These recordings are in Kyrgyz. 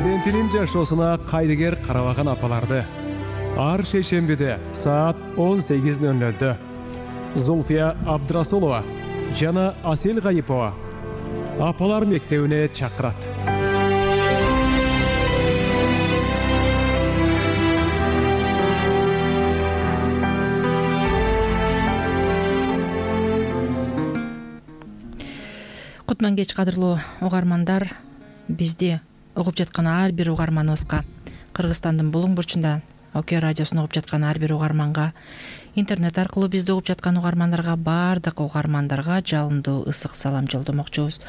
перзентинин жашоосуна кайдыгер карабаган апаларды ар шейшембиде саат 18:00 Зульфия Абдрасулова жана Асел Гайипова апалар мектебине чакырат. Кутман кеч кадырлуу угармандар, бизди угуп жаткан ар бир угарманыбызга, Кыргызстандын булуң бурчунда ОК радиосун угуп жаткан ар бир угарманга, интернет аркылуу бизди угуп жаткан угармандарга, баардык угармандарга жалындуу ысык салам жолдомокчубуз.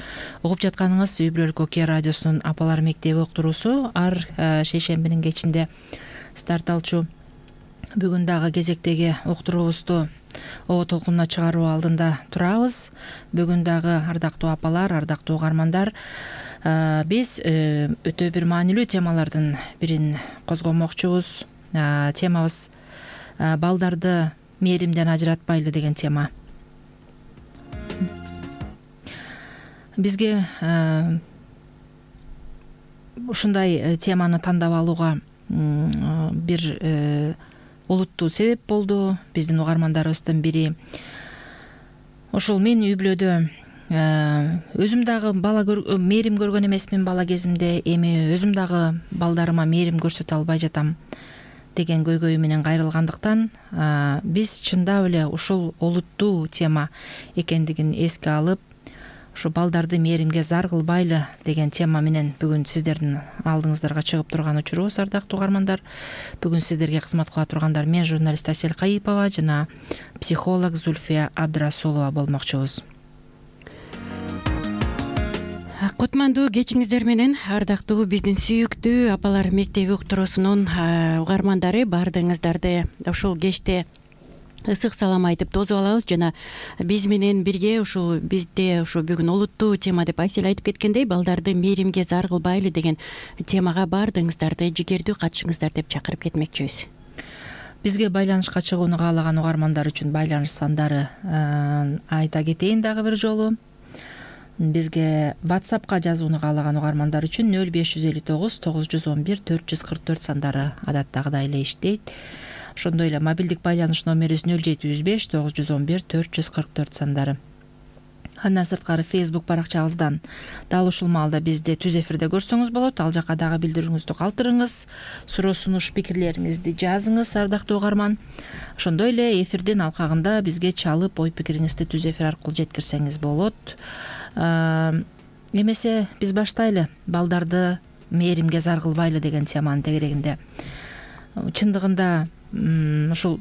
Угуп жатканыңыз үй бүлөлүк ОК радиосунун апалар мектеби уктуруусу ар шейшембинин кечинде старт алчу. Бүгүн дагы кезектеги уктуруубузду оо толкунуна чыгаруу алдында турабыз. Бүгүн дагы ардактуу апалар, ардактуу угармандар, биз өтө бир маанилүү темалардын бирин козгомокчубуз. Темабыз балдарды мээримден ажыратпайлы деген тема. Бизге ушундай теманы тандап алууга бир олуттуу себеп болду. Биздин угармандарыбыздын бири ошол мен үй бүлөдө өзүм дагы мээрим көргөн эмесмин бала кезимде, эми өзүм дагы балдарыма мээрим көрсөтө албай жатам деген көйгөй менен кайрылгандыктан биз чындап эле ушул олуттуу тема экендигин эске алып, ушу балдарды мээримге зар кылбайлы деген тема менен бүгүн сиздердин алдыңыздарга чыгып турган учурубуз, ардактуу угармандар. Бүгүн сиздерге кызмат кыла тургандар мен журналист Асел Гайипова жана психолог Зульфия Абдрасулова болмокчубуз. Кутмандуу кечиңиздер менен, ардактуу биздин сүйүктүү апалар мектеби уктуруусунун угармандары, баардыгыңыздарды ушул кечте ысык салам айтып тосуп алабыз жана биз менен бирге бизде бүгүн олуттуу тема деп Асел айтып кеткендей, балдарды мээримге зар кылбайлы деген темага баардыгыңыздарды жигердүү катышыңыздар деп чакырып кетмекчибиз. Бизге байланышка чыгууну каалаган угармандар үчүн байланыш сандары айта кетейин дагы бир жолу. Бизге WhatsAppка жазууну каалаган угармандар үчүн 0559 911 444 сандары адаттагыдай эле иштейт. Ошондой эле мобилдик байланыш номерибиз 0705 911 444 сандары. Андан сырткары Facebook баракчабыздан дал ушул маалда бизди түз эфирде көрсөңүз болот. Ал жака дагы билдирүүңүздү калтырыңыз, суроо сунуш пикирлериңизди жазыңыз, ардактуу угарман. Ошондой эле эфирдин алкагында бизге чалып ой пикириңизди түз эфир аркылуу жеткирсеңиз болот. Эмесе биз баштайлы балдарды мээримге зар кылбайлы деген теманын тегерегинде. Чындыгында ушул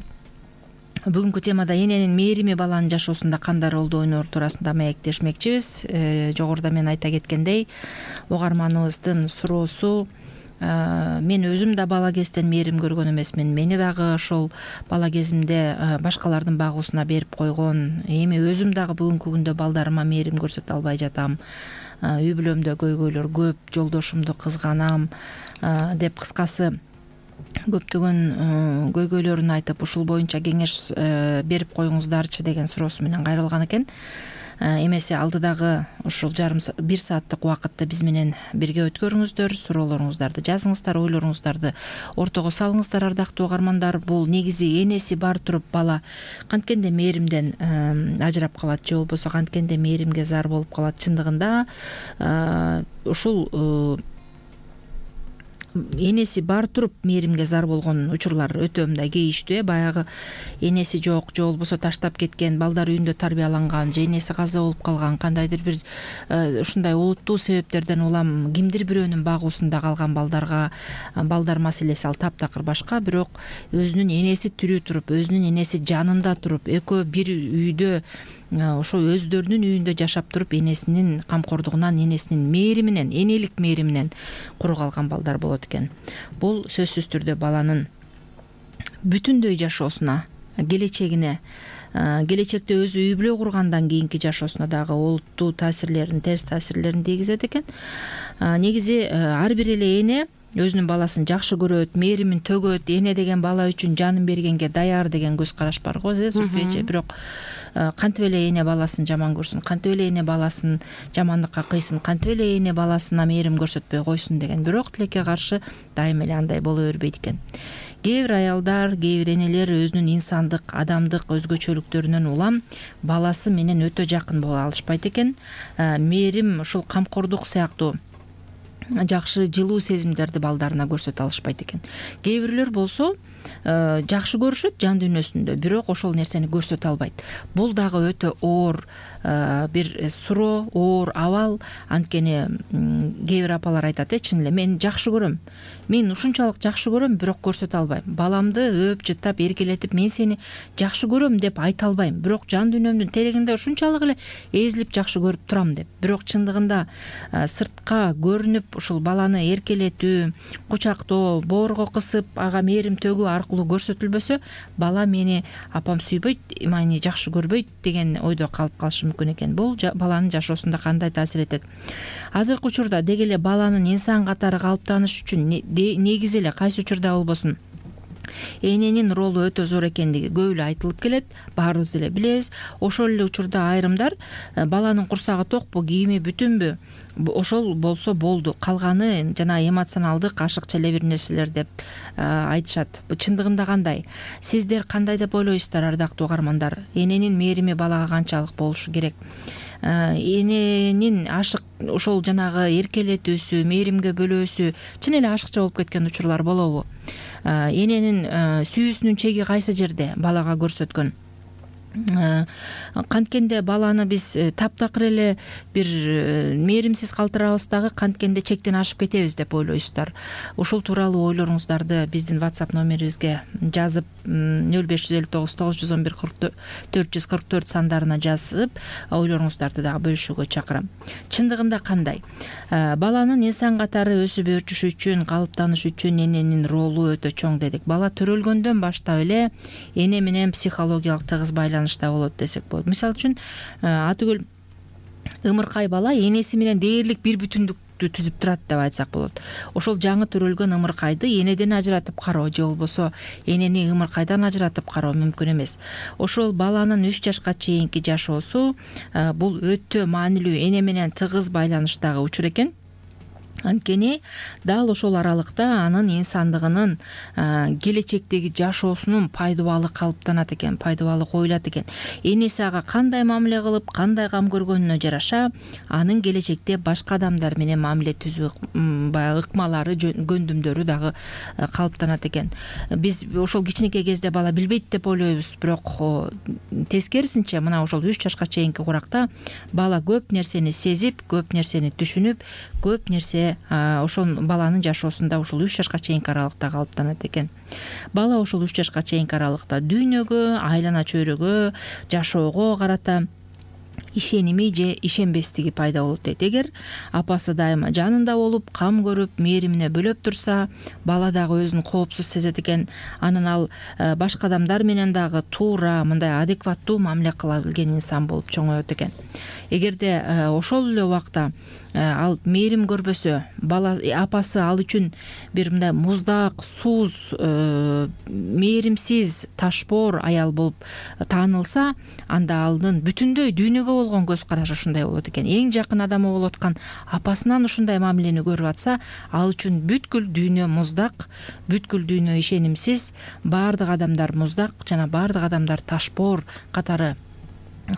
бүгүнкү темада эненин мээрими баланын жашоосунда кандай ролду ойноор туурасында маектешмекчибиз. Жогоруда мен айта кеткендей, угарманыбыздын суроосу мен өзүм да бала кезден мээрим көргөн эмесмин. Мени дагы ошол бала кезимде башкалардын багуусуна берип койгон. Эми өзүм дагы бүгүнкү күндө балдарыма мээрим көрсөтө албай жатам. Үй бүлөмдө көйгөйлөр көп, жолдошумду кызганам деп кыскасы көптөгөн көйгөйлөрүн айтып, ушул боюнча кеңеш берип коюңуздарчы деген суроосу менен кайрылган экен. Эмесе алдыдагы ушул бир сааттык убакытты биз менен бирге өткөрүңүздөр, суроолоруңуздарды жазыңыздар, ойлоруңуздарды ортого салыңыздар, ардактуу угармандар. Бул негизи энеси бар туруп бала канткенде мээримден ажырап калат же болбосо канткенде мээримге зар болуп калат. Чындыгында ушул энеси бар туруп мээримге зар болгон учурлар өтө мындай кейиштүү. Баягы энеси жок же болбосо таштап кеткен, балдар үйүндө тарбияланган же энеси каза болуп калган, кандайдыр бир ушундай олуттуу себептерден улам кимдир бирөөнүн багуусунда калган балдар маселеси ал таптакыр башка. Бирок өзүнүн энеси тирүү туруп, өзүнүн энеси жанында туруп, экөө бир үйдө ошо өздөрүнүн үйүндө жашап туруп, энесинин камкордугунан, энесинин мээриминен, энелик мээриминен куру калган балдар болот экен. Бул сөзсүз түрдө баланын бүтүндөй жашоосуна, келечегине, келечекте өзү үй бүлө кургандан кийинки жашоосуна дагы олуттуу таасирлерин, терс таасирлерин тийгизет экен. Негизи ар бир эле эне өзүнүн баласын жакшы көрөт, мээримин төгөт, эне деген бала үчүн жанын бергенге даяр деген көз караш бар го, Зульфия эже. Бирок кантип эле эне баласын жаман көрсүн, кантип эле эне баласын жамандыкка кыйсын, кантип эле эне баласына мээрим көрсөтпөй койсун деген бирок тилекке каршы дайыма эле андай боло бербейт экен. Кээ бир аялдар, кээ бир энелер өзүнүн инсандык, адамдык өзгөчөлүктөрүнөн улам баласы менен өтө жакын боло алышпайт экен. Мээрим, ушул камкордук сыяктуу жакшы жылуу сезимдерди балдарына көрсөтө алышпайт экен. Кээ бирлер болсо жакшы көрүшөт жан дүйнөсүндө, бирок ошол нерсени көрсөтө албайт. Бул дагы өтө оор бир суроо, оор абал. Анткени кээ бир апалар айтат, чын эле мен жакшы көрөм, мен ушунчалык жакшы көрөм, бирок көрсөтө албайм. Баламды өөп жыттап эркелетип мен сени жакшы көрөм деп айта албайм, бирок жан дүйнөмдүн терегинде ушунчалык эле эзилип жакшы көрүп турам деп. Бирок чындыгында сыртка көрүнүп ушул баланы эркелетүү, кучактоо, боорго кысып ага мээрим төгүү аркылуу көрсөтүлбөсө, бала мени апам сүйбөйт, мени жакшы көрбөйт деген ойдо калып калышы мүмкүн экен. Бул баланын жашоосунда кандай таасир этет? Азыркы учурда деги эле баланын инсан катары калыптаныш үчүн негизи эле кайсы учурда болбосун эненин ролу өтө зор экендиги көп эле айтылып келет, баарыбыз эле билебиз. Ошол эле учурда айрымдар баланын курсагы токпу, кийими бүтүнбү, ошол болсо болду, калганы жана эмоционалдык ашыкча эле бир нерселер деп айтышат. Чындыгында кандай? Сиздер кандай деп ойлойсуздар, ардактуу угармандар? Эненин мээрими балага канчалык болушу керек? Эненин ашык ошол жанагы эркелетүүсү, мээримге бөлөөсү чын эле ашыкча болуп кеткен учурлар болобу? Эненин сүйүүсүнүн чеги кайсы жерде балага көрсөткөн? Канткенде баланы биз таптакыр эле бир мээримсиз калтырабыз дагы, канткенде чектен ашып кетебиз деп ойлойсуздар. Ушул тууралуу ойлоруңуздарды биздин WhatsApp номерибизге жазып 0559 911 444 сандарына жазып, ойлоруңуздарды дагы бөлүшүүгө чакырам. Чындыгында кандай? Баланын инсан катары өсүп өрчүшү үчүн, калыптаныш үчүн эненин ролу өтө чоң дедик. Бала төрөлгөндөн баштап эле эне менен психологиялык тыгыз байланышта болот десек болот. Мисалы үчүн атүгөл ымыркай бала энеси менен дээрлик бир бүтүндүктү түзүп турат деп айтсак болот. Ошол жаңы төрөлгөн ымыркайды энеден ажыратып кароо же болбосо энени ымыркайдан ажыратып кароо мүмкүн эмес. Ошол баланын 3 жашка чейинки жашоосу бул өтө маанилүү, эне менен тыгыз байланыштагы учур экен. Анткени дал ошол аралыкта анын инсандыгынын келечектеги жашоосунун пайдубалы калыптанат экен, пайдубалы коюлат экен. Энеси ага кандай мамиле кылып, кандай кам көргөнүнө жараша анын келечекте башка адамдар менен мамиле түзүү баягы ыкмалары, көндүмдөрү дагы калыптанат экен. Биз ошол кичинекей кезде бала билбейт деп ойлойбуз, бирок тескерисинче мына ошол 3 жашка чейинки куракта бала көп нерсени сезип, көп нерсени түшүнүп, көп нерсе ошол баланын жашоосунда ушул 3 жашка чейинки аралыкта калыптанат экен. Бала ошол 3 жашка чейинки аралыкта дүйнөгө, айлана чөйрөгө, жашоого карата ишеними же ишенбестиги пайда болот дейт. Эгер апасы дайыма жанында болуп, кам көрүп, мээримине бөлөп турса, бала дагы өзүн коопсуз сезет экен. Анан ал башка адамдар менен дагы туура, мындай адекваттуу мамиле кыла билген инсан болуп чоңоет экен. Эгерде ошол эле убакта ал мээрим көрбөсө, бала апасы ал үчүн бир мындай муздак, сууз, мээримсиз, ташбоор аял болуп таанылса, анда алдын бүтүндөй дүйнөгө болгон көз карашы ушундай болот экен. Эң жакын адамы болуп аткан апасынан ушундай мамилени көрүп атса, ал үчүн бүткүл дүйнө муздак, бүткүл дүйнө ишенимсиз, баардык адамдар муздак жана баардык адамдар ташбоор катары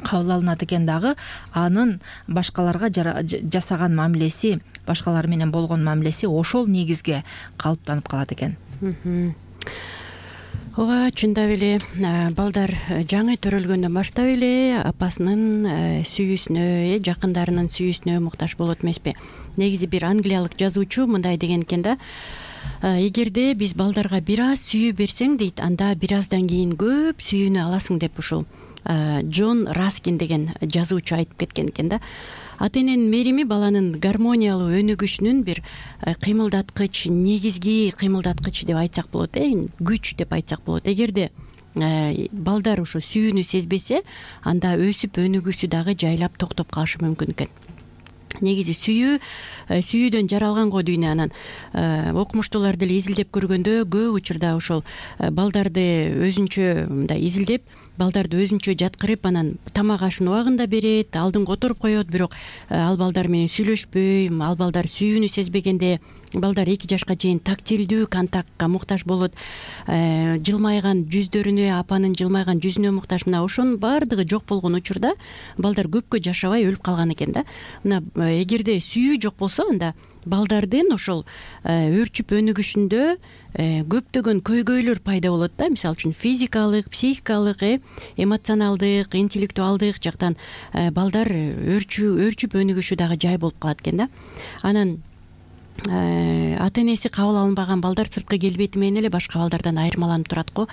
кабыл алынат экен. Дагы анын башкаларга жасаган мамилеси, башкалар менен болгон мамилеси ошол негизге калыптанып калат экен. Ооба, чындап эле балдар жаңы төрөлгөндөн баштап эле апасынын сүйүүсүнө, жакындарынын сүйүүсүнө муктаж болот эмеспи? Негизи бир англиялык жазуучу мындай деген экен да: эгерде биз балдарга бир аз сүйүү берсең дейт, анда бир аздан кийин көп сүйүүнү аласың деп ушул Джон Раскин деген жазуучу айтып кеткен экен да. Ата эненин мээрими баланын гармониялуу өнүгүшүнүн бир кыймылдаткыч, негизги кыймылдаткыч деп айтсак болот, күч деп айтсак болот. Эгерде балдар ушу сүйүүнү сезбесе, анда өсүп өнүгүүсү дагы жайлап токтоп калышы мүмкүн экен. негизи сүйүүдөн жаралган го дүйнө. Анан окумуштуулар деле изилдеп көргөндө көп учурда ошол балдарды өзүнчө мындай изилдеп, балдарды өзүнчө жаткырып, анан тамак ашын убагында берет, алдыңга отуруп коет. Бирок ал балдар менен сүйлөшпөй, ал балдар сүйүүнү сезбегенде балдар 2 жашка чейин тактилдүү контактка муктаж болот. Жылмайган жүздөрүнө, апанын жылмайган жүзүнө муктаж. Мына ошонун баардыгы жок болгон учурда балдар көпкө жашабай өлүп калган экен да. Мына эгерде сүйүү жок болсо, анда балдардын ошол өөрчүп өнүгүшүндө көптөгөн көйгөйлөр пайда болот да. Мисалы үчүн физикалык, психикалык, эмоционалдык, интеллектуалдык жактан балдар өөрчүп өнүгүшү дагы жай болуп калат экен да. Анан ата энеси кабыл алынбаган балдар сырткы келбети менен эле башка балдардан айырмаланып турат го.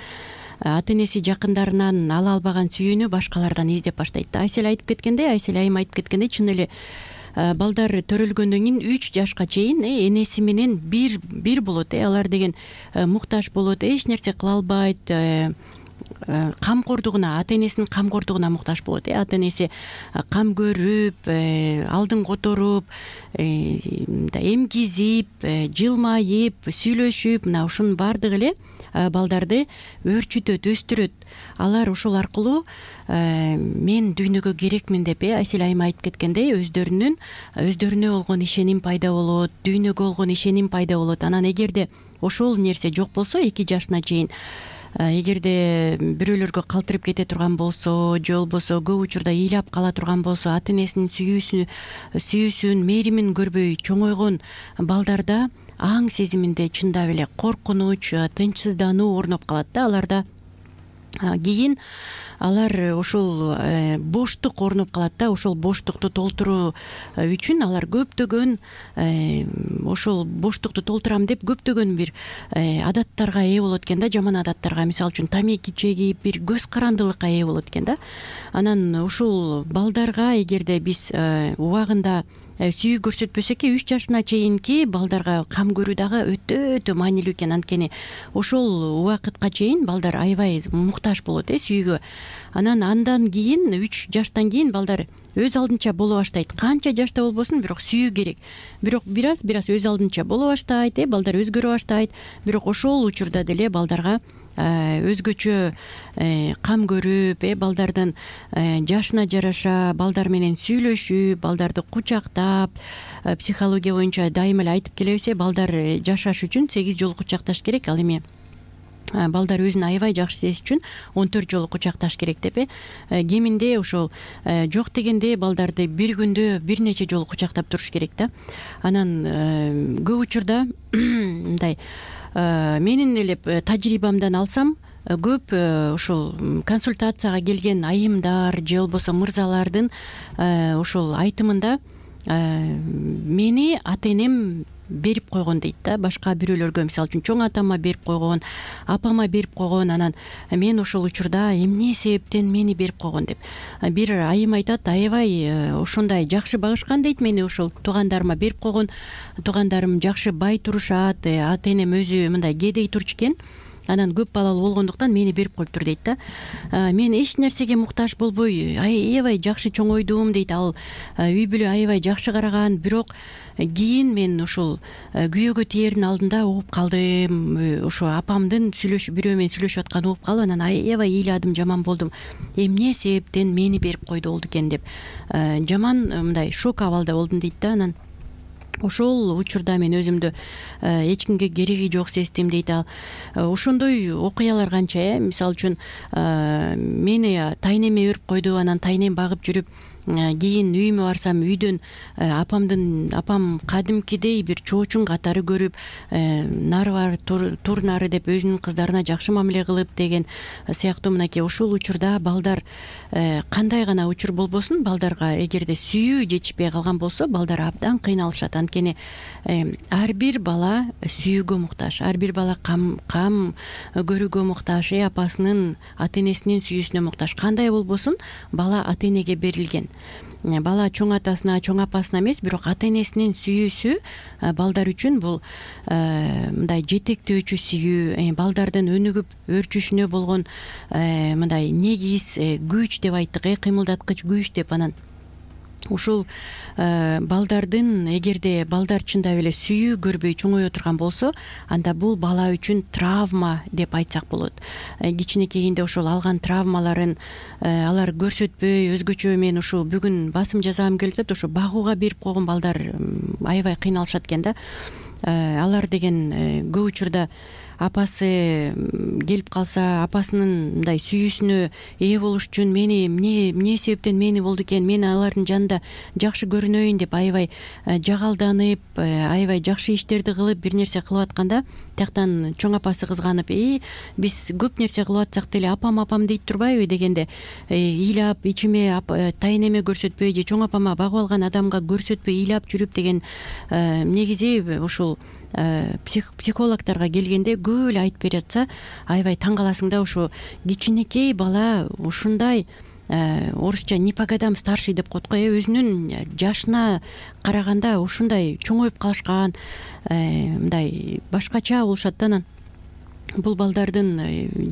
Ата энеси жакындарынан ала албаган сүйүүнү башкалардан издеп баштайт да. Айсел айым айтып кеткендей, чын эле балдар төрөлгөндөн кийин 3 жашка чейин энеси менен бир болот. Алар деген муктаж болот, эч нерсе кыла албайт, камкордугуна, ата энесинин камкордугуна муктаж болот. Ата энеси кам көрүп, алдыңга которуп, эмкизип, жылмайып, сүйлөшүп, мына ушунун баардыгы эле балдарды өөрчүтөт, өстүрөт. Алар ошол аркылуу мен дүйнөгө керекмин деп Айсел айым айтып кеткендей, өздөрүнө болгон ишеним пайда болот, дүйнөгө болгон ишеним пайда болот. Анан эгерде ошол нерсе жок болсо, 2 жашына чейин эгерде бирөөлөргө калтырып кете турган болсо, же болбосо көп учурда ыйлап кала турган болсо, ата энесинин сүйүүсүн, мээримин көрбөй чоңойгон балдарда аң сезиминде чындап эле коркунуч, тынчсыздануу орноп калат да. Аларда кийин алар ошол боштук орноп калат да. Ошол боштукту толтуруу үчүн алар көптөгөн ошол боштукту толтурам деп көптөгөн бир адаттарга ээ болот экен да, жаман адаттарга. Мисалы үчүн тамеки чегип, бир көз карандылыкка ээ болот экен да. Анан ушул балдарга эгерде биз убагында сүйүү көрсөтпөсөк, 3 жашына чейинки балдарга кам көрүү дагы өтө маанилүү экен. Анткени ошол убакытка чейин балдар аябай муктаж болот сүйүүгө. Андан кийин 3 жаштан кийин балдар өз алдынча боло баштайт. Канча жашта болбосун, бирок сүйүү керек. Бирок бир аз өз алдынча боло баштайт, балдар өзгөрө баштайт. Бирок ошол учурда деле балдарга өзгөчө кам көрүп, балдардын жашына жараша балдар менен сүйлөшүп, балдарды кучактап, психология боюнча дайыма эле айтып келебиз, балдар жашаш үчүн 8 жолу кучакташ керек. Ал эми балдар өзүн аябай жакшы сезиш үчүн 14 жолу кучакташ керек деп кеминде ошол жок дегенде балдарды бир күндө бир нече жолу кучактап туруш керек да. Анан көп учурда мындай менин эле тажрыйбамдан алсам, көп ошол консультацияга келген айымдар же болбосо мырзалардын ошол айтымында мени ата энем берип койгон дейт да. Башка бирөөлөргө, мисалы үчүн чоң атама берип койгон, апама берип койгон. Анан мен ошол учурда эмне себептен мени берип койгон деп. Бир айым айтат, аябай ошондой жакшы багышкан дейт, мени ошол туугандарыма берип койгон. Туугандарым жакшы бай турушат, ата энем өзү мындай кедей турчу экен. Анан көп балалуу болгондуктан мени берип коюптур дейт да. Мен эч нерсеге муктаж болбой аябай жакшы чоңойдум дейт. Ал үй бүлө аябай жакшы караган, бирок кийин мен ушул күйөөгө тиердин алдында угуп калдым. Ошо апамдын бирөө менен сүйлөшүп атканын угуп калып, анан аябай ыйладым, жаман болдум. Эмне себептен мени берип койду болду экен деп жаман мындай шок абалда болдум дейт да. Анан ошол учурда мен өзүмдү эч кимге кереги жок сездим дейт. Ошондой окуялар канча. Мисалы үчүн мени тайнеме өрүп койду, анан тайнем багып жүрүп, кийин үйүмө барсам, үйдөн апам кадимкидей бир чоочун катары көрүп, нары бар, тур нары деп өзүнүн кыздарына жакшы мамиле кылып деген сыяктуу. Мынакей ушул учурда балдар кандай гана учур болбосун, балдарга эгерде сүйүү жетишпей калган болсо, балдар абдан кыйналышат. Анткени ар бир бала сүйүүгө муктаж, ар бир бала кам көрүүгө муктаж, апасынын, ата энесинин сүйүүсүнө муктаж. Кандай болбосун, бала ата энеге берилген. Бала чоң атасына, чоң апасына эмес, бирок ата энесинин сүйүүсү балдар үчүн бул мындай жетектөөчү сүйүү, балдардын өнүгүп өөрчүшүнө болгон мындай негиз күч деп айттык, кыймылдаткыч күч деп. Анан ушул балдардын, эгерде балдар чындап эле сүйүү көрбөй чоңое турган болсо, анда бул бала үчүн травма деп айтсак болот. Кичинекейинде ошол алган травмаларын алар көрсөтпөй, өзгөчө мен ушул бүгүн басым жасагым келип атат, ошо багууга берип койгон балдар аябай кыйналышат экен да. Алар деген көп учурда апасы келип калса, апасынын мындай сүйүүсүнө ээ болуш үчүн эмне себептен мени болду экен, мен алардын жанында жакшы көрүнөйүн деп аябай жагалданып, аябай жакшы иштерди кылып, бир нерсе кылып атканда, тияктан чоң апасы кызганып, биз көп нерсе кылып атсак деле апам дейт турбайбы дегенде, ыйлап ичиме тайнеме көрсөтпөй же чоң апама багып алган адамга көрсөтпөй ыйлап жүрүп деген негизи ушул психологторго келгенде көп эле айтып берип атса, аябай таң каласың да. Ушу кичинекей бала ушундай орусча не по годам старший деп коет го, өзүнүн жашына караганда ушундай чоңоюп калышкан, мындай башкача болушат да. Анан бул балдардын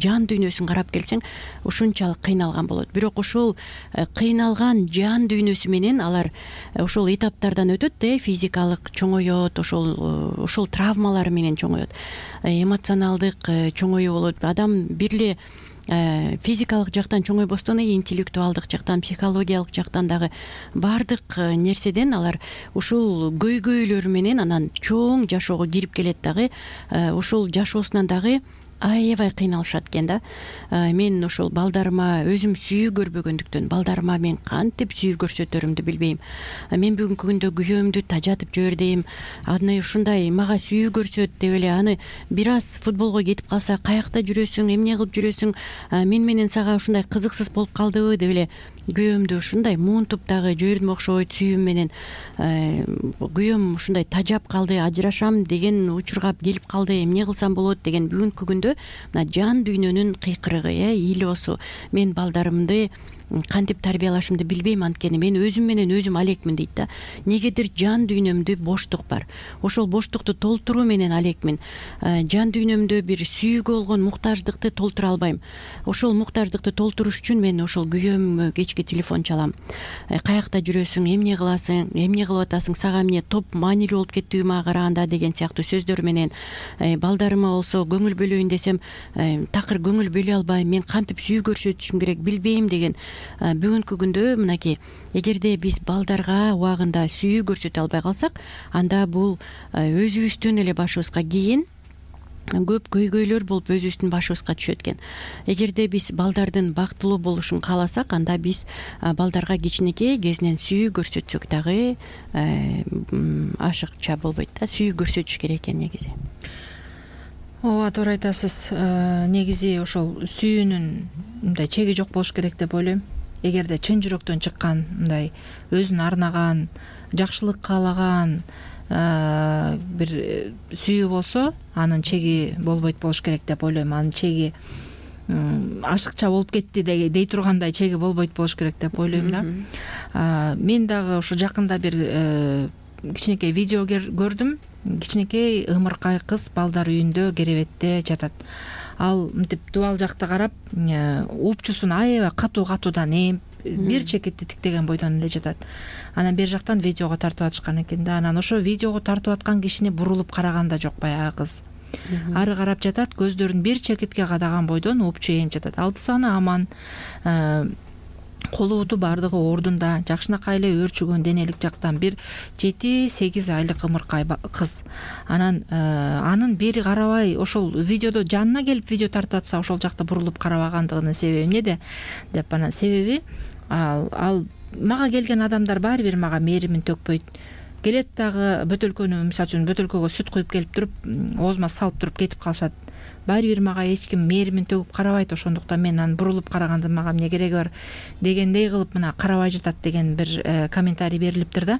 жан дүйнөсүн карап келсең, ушунчалык кыйналган болот. Бирок ошол кыйналган жан дүйнөсү менен алар ошол этаптардан өтөт, физикалык чоңоет, ошол травмалары менен чоңоет, эмоционалдык чоңоюу болот. Адам бир эле физикалык жактан чоңойбостон интеллектуалдык жактан, психологиялык жактан дагы баардык нерседен алар ушул көйгөйлөрү менен анан чоң жашоого кирип келет дагы. Ушул жашоосунан дагы аябай кыйналышат экен да. Мен ошол балдарыма өзүм сүйүү көрбөгөндүктөн балдарыма мен кантип сүйүү көрсөтөрүмдү билбейм. Мен бүгүнкү күндө күйөөмдү тажатып жибердим, аны ушундай мага сүйүү көрсөт деп эле, аны бир аз футболго кетип калса, каякта жүрөсүң, эмне кылып жүрөсүң, мен менен сага ушундай кызыксыз болуп калдыбы деп эле күйөөмдү ушундай муунтуп дагы жибердим окшойт сүйүүм менен. Күйөөм ушундай тажап калды, ажырашам деген учурга келип калды, эмне кылсам болот деген бүгүнкү күндө мына жан дүйнөнүн кыйкырыгы, ыйлоосу. Мен балдарымды кантип тарбиялашымды билбейм, анткени мен өзүм менен өзүм алекмин дейт да. Негедир жан дүйнөмдө боштук бар, ошол боштукту толтуруу менен алекмин. Жан дүйнөмдө бир сүйүүгө болгон муктаждыкты толтура албайм. Ошол муктаждыкты толтуруш үчүн мен ошол күйөөмө кечке телефон чалам. Каякта жүрөсүң, эмне кыласың, эмне кылып атасың, сага эмне топ маанилүү болуп кеттиби мага караганда деген сыяктуу сөздөр менен. Балдарыма болсо көңүл бөлөйүн десем, такыр көңүл бөлө албайм, мен кантип сүйүү көрсөтүшүм керек билбейм деген. Бүгүнкү күндө мынакей, эгерде биз балдарга убагында сүйүү көрсөтө албай калсак, анда бул өзүбүздүн эле башыбызга кийин көп көйгөйлөр болуп өзүбүздүн башыбызга түшөт экен. Эгерде биз балдардын бактылуу болушун кааласак, анда биз балдарга кичинекей кезинен сүйүү көрсөтсөк дагы ашыкча болбойт да. Сүйүү көрсөтүш керек экен негизи. Ооба, туура айтасыз. Негизи ошол сүйүүнүн мындай чеги жок болуш керек деп ойлойм. Эгерде чын жүрөктөн чыккан, мындай өзүн арнаган, жакшылык каалаган бир сүйүү болсо, анын чеги болбойт болуш керек деп ойлойм. Анын чеги ашыкча болуп кетти дей тургандай чеги болбойт болуш керек деп ойлойм да. Мен дагы ушу жакында бир кичинекей видео көрдүм. Кичинекей ымыркай кыз балдар үйүндө керебетте жатат. Ал мынтип дубал жакты карап, упчусун аябай катуудан эми бир чекитти тиктеген бойдон эле жатат. Анан бер жактан видеого тартып атышкан экен да. Анан ошо видеого тартып аткан кишини бурулуп караган да жок баягы кыз. Ары карап жатат, көздөрүн бир чекитке кадаган бойдон упчу эми жатат. Алты саны аман, колу буту баардыгы ордунда, жакшынакай эле өөрчүгөн денелик жактан бир 7-8 айлык ымыркай кыз. Анан анын бери карабай ошол видеодо жанына келип видео тартып атса, ошол жакта бурулуп карабагандыгынын себеби эмнеде деп, анан себеби ал мага келген адамдар баары бир мага мээримин төкпөйт. Келет дагы бөтөлкөнү, мисалы үчүн бөтөлкөгө сүт куюп келип туруп, оозума салып туруп кетип калышат. Баары бир мага эч ким мээримин төгүп карабайт, ошондуктан мен анын бурулуп карагандын мага эмне кереги бар дегендей кылып мына карабай жатат деген бир комментарий берилиптир да.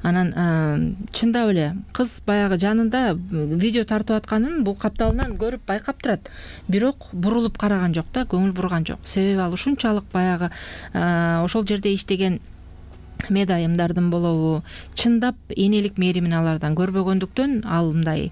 Анан чындап эле кыз баягы жанында видео тартып атканын бул капталынан көрүп байкап турат, бирок бурулуп караган жок да, көңүл бурган жок. Себеби ал ушунчалык баягы ошол жерде иштеген медайымдардын болобу, чындап энелик мээримин алардан көрбөгөндүктөн ал мындай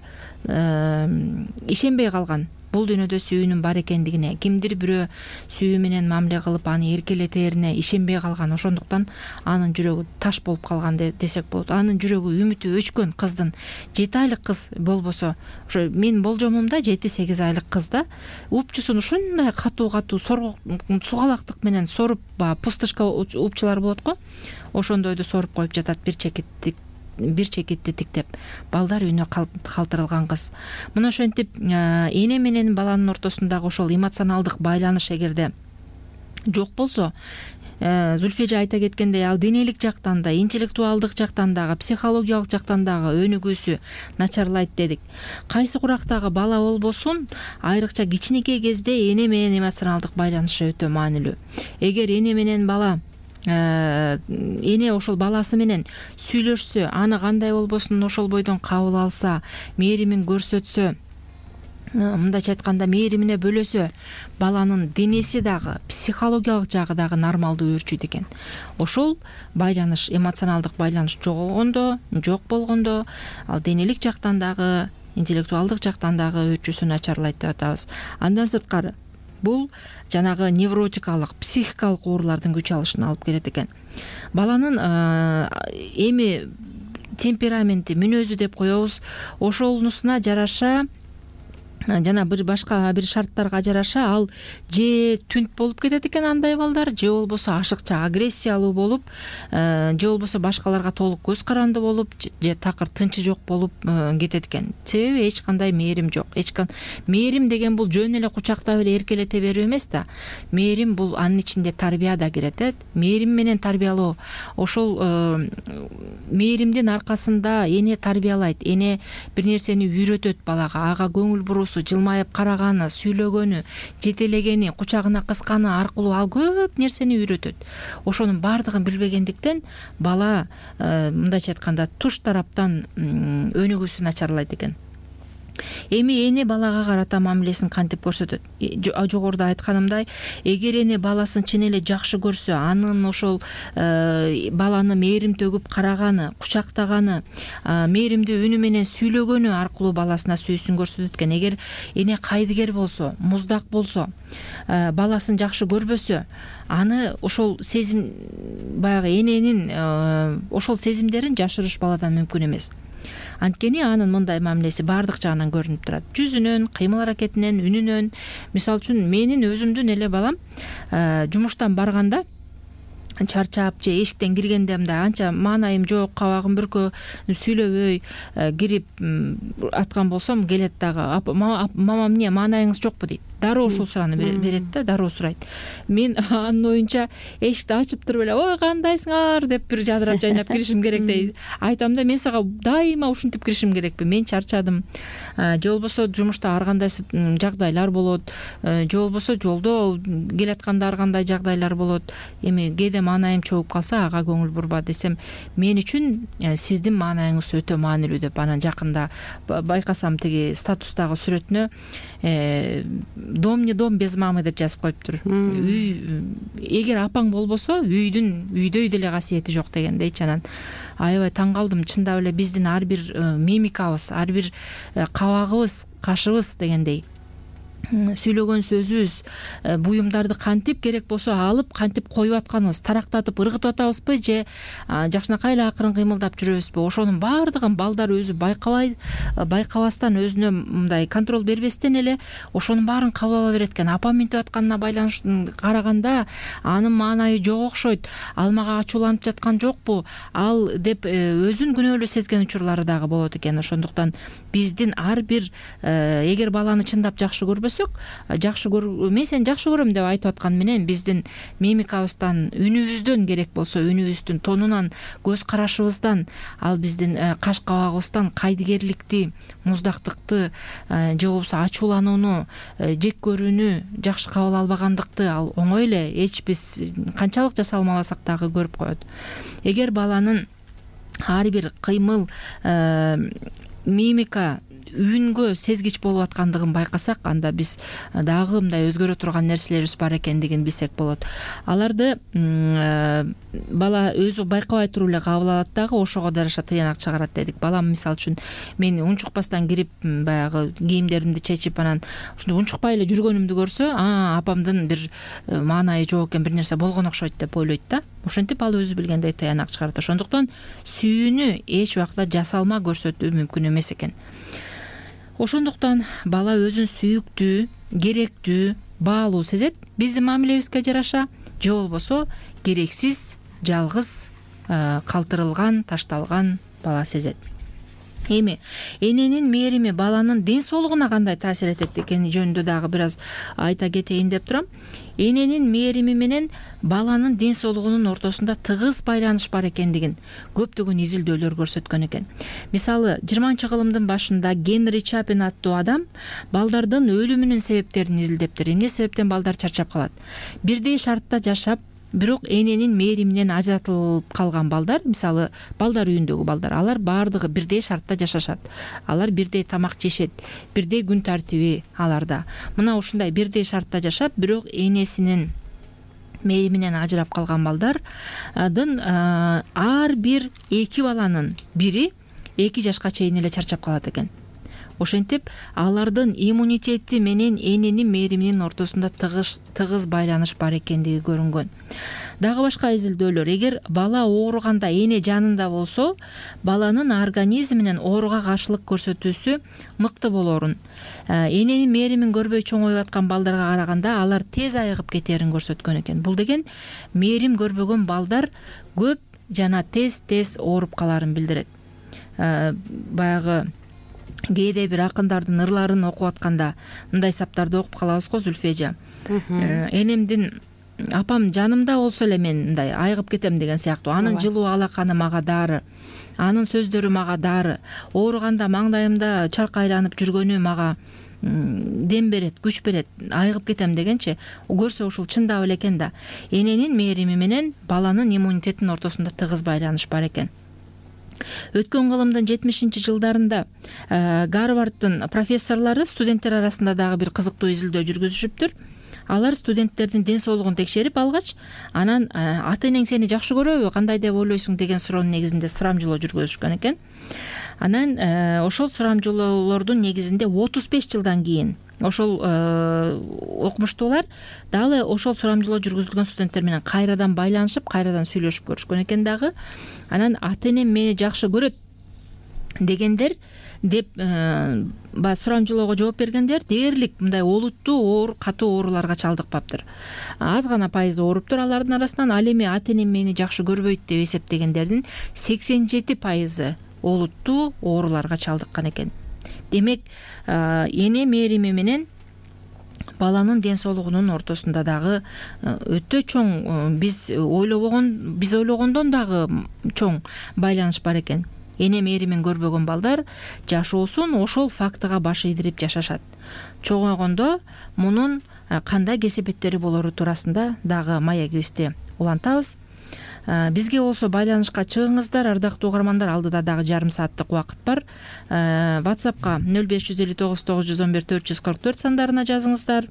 ишенбей калган. бул дүйнөдө сүйүүнүн бар экендигине, кимдир бирөө сүйүү менен мамиле кылып аны эркелетерине ишенбей калган, ошондуктан анын жүрөгү таш болуп калган десек болот. Анын жүрөгү үмүтү өчкөн кыздын 7 айлык кыз болбосо, ошо менин болжомумда 7-8 айлык кызда упчусун ушундай катуу сугалактык менен соруп, пустышка упчулар болот го, ошондойду соруп коюп жатат, бир чекитти тиктеп. Балдар үйүнө калтырылган кыз. Мына ошентип эне менен баланын ортосундагы ошол эмоционалдык байланыш эгерде жок болсо, Зүлфия эже айта кеткендей, ал денелик жактан да, интеллектуалдык жактан дагы, психологиялык жактан дагы өнүгүүсү начарлайт дедик. Кайсы курактагы бала болбосун, айрыкча кичинекей кезде эне менен эмоционалдык байланышы өтө маанилүү. Эгер эне менен бала эне ошол баласы менен сүйлөшсө, аны кандай болбосун ошол бойдон кабыл алса, мээримин көрсөтсө, мындайча айтканда мээримине бөлөсө, баланын денеси дагы, психологиялык жагы дагы нормалдуу өөрчүйт экен. Ошол байланыш, эмоционалдык байланыш жок болгондо, ал денелик жактан дагы, интеллектуалдык жактан дагы өөрчүүсү начарлайт деп атабыз. Андан сырткары бул жанагы невротикалык, психикалык оорулардын күч алышына алып келет экен. Баланын эми темпераменти, мүнөзү деп коебуз, ошонусуна жараша, жана башка бир шарттарга жараша ал же түнт болуп кетет экен андай балдар, же болбосо ашыкча агрессиялуу болуп, же болбосо башкаларга толук көз каранды болуп, же такыр тынчы жок болуп кетет экен. Себеби эч кандай мээрим жок. Мээрим деген бул жөн эле кучактап эле эркелете берүү эмес да. Мээрим бул анын ичинде тарбия да кирет. Мээрим менен тарбиялоо, ошол мээримдин аркасында эне тарбиялайт, эне бир нерсени үйрөтөт балага, ага көңүл буруусу, жылмайып караганы, сүйлөгөнү, жетелегени, кучагына кысканы аркылуу ал көп нерсени үйрөтөт. Ошонун баардыгын билбегендиктен бала мындайча айтканда туш тараптан өнүгүүсү начарлайт экен. Эми эне балага карата мамилесин кантип көрсөтөт? Жогоруда айтканымдай, эгер эне баласын чын эле жакшы көрсө, анын ошол баланы мээрим төгүп караганы, кучактаганы, мээримдүү үнү менен сүйлөгөнү аркылуу баласына сүйүүсүн көрсөтөт экен. Эгер эне кайдыгер болсо, муздак болсо, баласын жакшы көрбөсө, аны ошол сезим, баягы эненин ошол сезимдерин жашырыш баладан мүмкүн эмес. Анткени анын мындай мамилеси баардык жагынан көрүнүп турат. Жүзүнөн, кыймыл аракетинен, үнүнөн. Мисалы үчүн менин өзүмдүн эле балам жумуштан барганда чарчап же эшиктен киргенде мындай анча маанайым жок, кабагым бүркө, сүйлөбөй кирип аткан болсом, келет дагы, мамам эмне маанайыңыз жокпу дейт. Дароо ушул сурааны берет да, дароо сурайт. Мен анын оюнча эшикти ачып туруп эле, ой кандайсыңар деп бир жадырап жайнап киришим керек дейт. Айтам да, мен сага дайыма ушинтип киришим керекпи, мен чарчадым. Же болбосо жумушта ар кандай жагдайлар болот, же болбосо жолдо келатканда ар кандай жагдайлар болот. Эми кээде маанайым чогуп калса, ага көңүл бурба десем, мен үчүн сиздин маанайыңыз өтө маанилүү деп анан жакында байкасам тиги статустагы сүрөтүнө дом не дом без мамы деп жазып коюптур. Эгер апаң болбосо, үйдөй деле касиети жок дегендейчи. Анан аябай таң калдым. Чындап эле биздин ар бир мимикабыз, ар бир кабагыбыз, кашыбыз дегендей, сүйлөгөн сөзүбүз, буюмдарды кантип керек болсо алып, кантип коюп атканыбыз, тарактатып ыргытып атабызбы же жакшынакай эле акырын кыймылдап жүрөбүзбү? Ошонун баардыгын балдар өзү байкабастан, өзүнө мындай контроль бербестен эле ошонун баарын кабыл ала берет экен. Апам минтип атканына байланыштуу караганда анын маанайы жок окшойт, ал мага ачууланып жаткан жокпу, ал деп өзүн күнөөлүү сезген учурлары дагы болот экен. Ошондуктан биздин ар бир эгер баланы чындап жакшы көрбөсөк, мен сени жакшы көрөм деп айтып аткан менен биздин мимикабыздан, үнүбүздөн, керек болсо үнүбүздүн тонунан, көз карашыбыздан, ал биздин каш кабагыбыздан кайдыгерликти, муздактыкты, же болбосо ачууланууну, жек көрүүнү, жакшы кабыл албагандыкты ал оңой эле эч биз канчалык жасалмаласак дагы көрүп коет. Эгер баланын ар бир кыймыл, мимика, үнгө сезгич болуп аткандыгын байкасак, анда биз дагы мындай өзгөрө турган нерселерибиз бар экендигин билсек болот. Аларды бала өзү байкабай туруп эле кабыл алат дагы, ошого жараша тыянак чыгарат дедик. Балам мисалы үчүн мен унчукпастан кирип баягы кийимдеримди чечип анан ушундай унчукпай эле жүргөнүмдү көрсө, апамдын бир маанайы жок экен, бир нерсе болгон окшойт деп ойлойт да. Ошентип ал өзү билгендей тыянак чыгарат. Ошондуктан сүйүүнү эч убакта жасалма көрсөтүү мүмкүн эмес экен. Ошондуктан бала өзүн сүйүктүү, керектүү, баалуу сезет биздин мамилебизге жараша, же болбосо керексиз, жалгыз, калтырылган, ташталган бала сезет. Эми эненин мээрими баланын ден соолугуна кандай таасир этет экени жөнүндө дагы бир аз айта кетейин деп турам. Эненин мээрими менен баланын ден соолугунун ортосунда тыгыз байланыш бар экендигин көптөгөн изилдөөлөр көрсөткөн экен. Мисалы 20-кылымдын башында Генри Чапин аттуу адам балдардын өлүмүнүн себептерин изилдептир. Эмне себептен балдар чарчап калат? Бирдей шартта жашап, бирок эненин мээриминен ажыратылып калган балдар, мисалы балдар үйүндөгү балдар, алар баардыгы бирдей шартта жашашат. Алар бирдей тамак жешет, бирдей күн тартиби аларда. Мына ушундай бирдей шартта жашап, бирок энесинин мээриминен ажырап калган балдардын ар бир 2 баланын бири 2 жашка чейин эле чарчап калат экен. Ошентип алардын иммунитети менен эненин мээриминин ортосунда тыгыз байланыш бар экендиги көрүнгөн. Дагы башка изилдөөлөр, эгер бала ооруганда эне жанында болсо, баланын организминин ооруга каршылык көрсөтүүсү мыкты болорун, эненин мээримин көрбөй чоңоюп аткан балдарга караганда алар тез айыгып кетерин көрсөткөн экен. Бул деген мээрим көрбөгөн балдар көп жана тез ооруп каларын билдирет. Баягы кээде бир акындардын ырларын окуп атканда мындай саптарды окуп калабыз го, Зүлфежа. Энемдин апам жанымда болсо эле мен мындай айыгып кетем деген сыяктуу. Анын жылуу алаканы мага дары, анын сөздөрү мага дары, ооруганда маңдайымда чаркайланып жүргөнү мага дем берет, күч берет, айыгып кетем дегенчи, көрсө ушул чындап эле экен да. Эненин мээрими менен баланын иммунитетинин ортосунда тыгыз байланыш бар экен. Өткөн кылымдын 70-жылдарында Гарварддын профессорлору студенттер арасында дагы бир кызыктуу изилдөө жүргүзүшүптүр. Алар студенттердин ден соолугун текшерип алгач, анан ата-энең сени жакшы көрөбү, кандай деп ойлойсуң деген суроонун негизинде сурамжылоо жүргүзүшкөн экен. Анан ошол сурамжылоолордун негизинде 35 жылдан кийин ошол окумуштуулар дагы ошол сурамжылоо жүргүзүлгөн студенттер менен кайрадан байланышып, кайрадан сүйлөшүп көрүшкөн экен дагы. Анан ата-энем мени жакшы көрөт дегендер деп сурамжылоого жооп бергендер дээрлик мындай олуттуу катуу ооруларга чалдыкпаптыр. Аз гана пайызы ооруптур алардын арасынан. Ал эми ата-энем мени жакшы көрбөйт деп эсептегендердин 87% олуттуу ооруларга чалдыккан экен. Демек, эне мээрими менен баланын ден соолугунун ортосунда дагы өтө чоң, биз ойлогондон дагы чоң байланыш бар экен. Эне мээримин көрбөгөн балдар жашоосун ошол фактыга баш ийдирип жашашат. Чоңойгондо мунун кандай кесепеттери болору туурасында дагы маегибизди улантабыз. Бизге болсо байланышка чыгыңыздар, ардактуу угармандар. Алдыда дагы жарым сааттык убакыт бар. WhatsAppка 0559 911 444 сандарына жазыңыздар.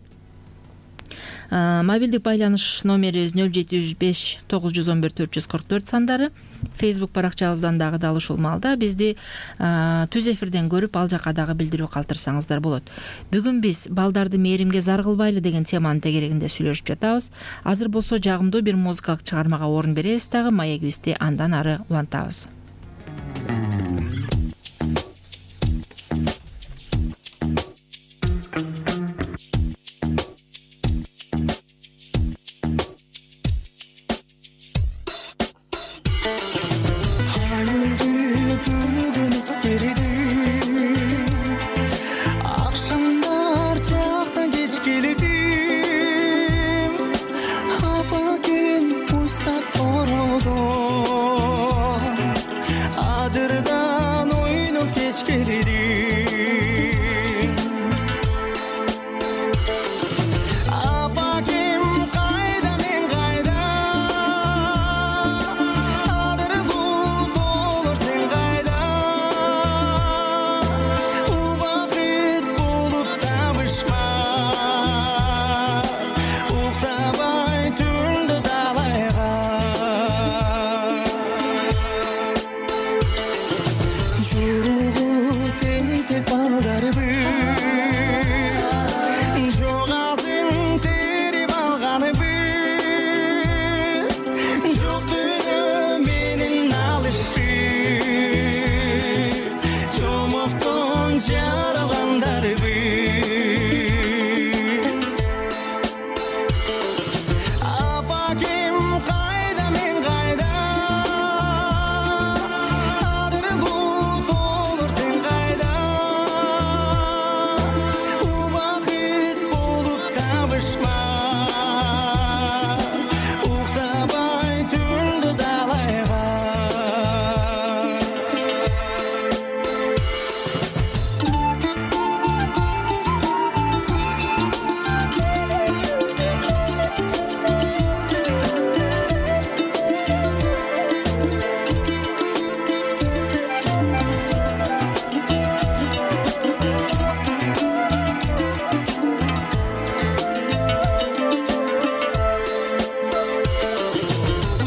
Мобилдик байланыш номерибиз 0705 911 444 сандары. Facebook баракчабыздан дагы дал ушул маалда бизди түз эфирден көрүп, ал жака дагы билдирүү калтырсаңыздар болот. Бүгүн биз балдарды мээримге зар кылбайлы деген теманын тегерегинде сүйлөшүп жатабыз. Азыр болсо жагымдуу бир музыкалык чыгармага орун беребиз дагы, маегибизди андан ары улантабыз. Adırdı балдарбыз жогасын терип алганыбыз жоктугу менен алышып чомоктон жаралгандарбыз апакем кайда мен кайда адырлуу толор сен кайда убакыт болуп табышма уктабай түндү далайга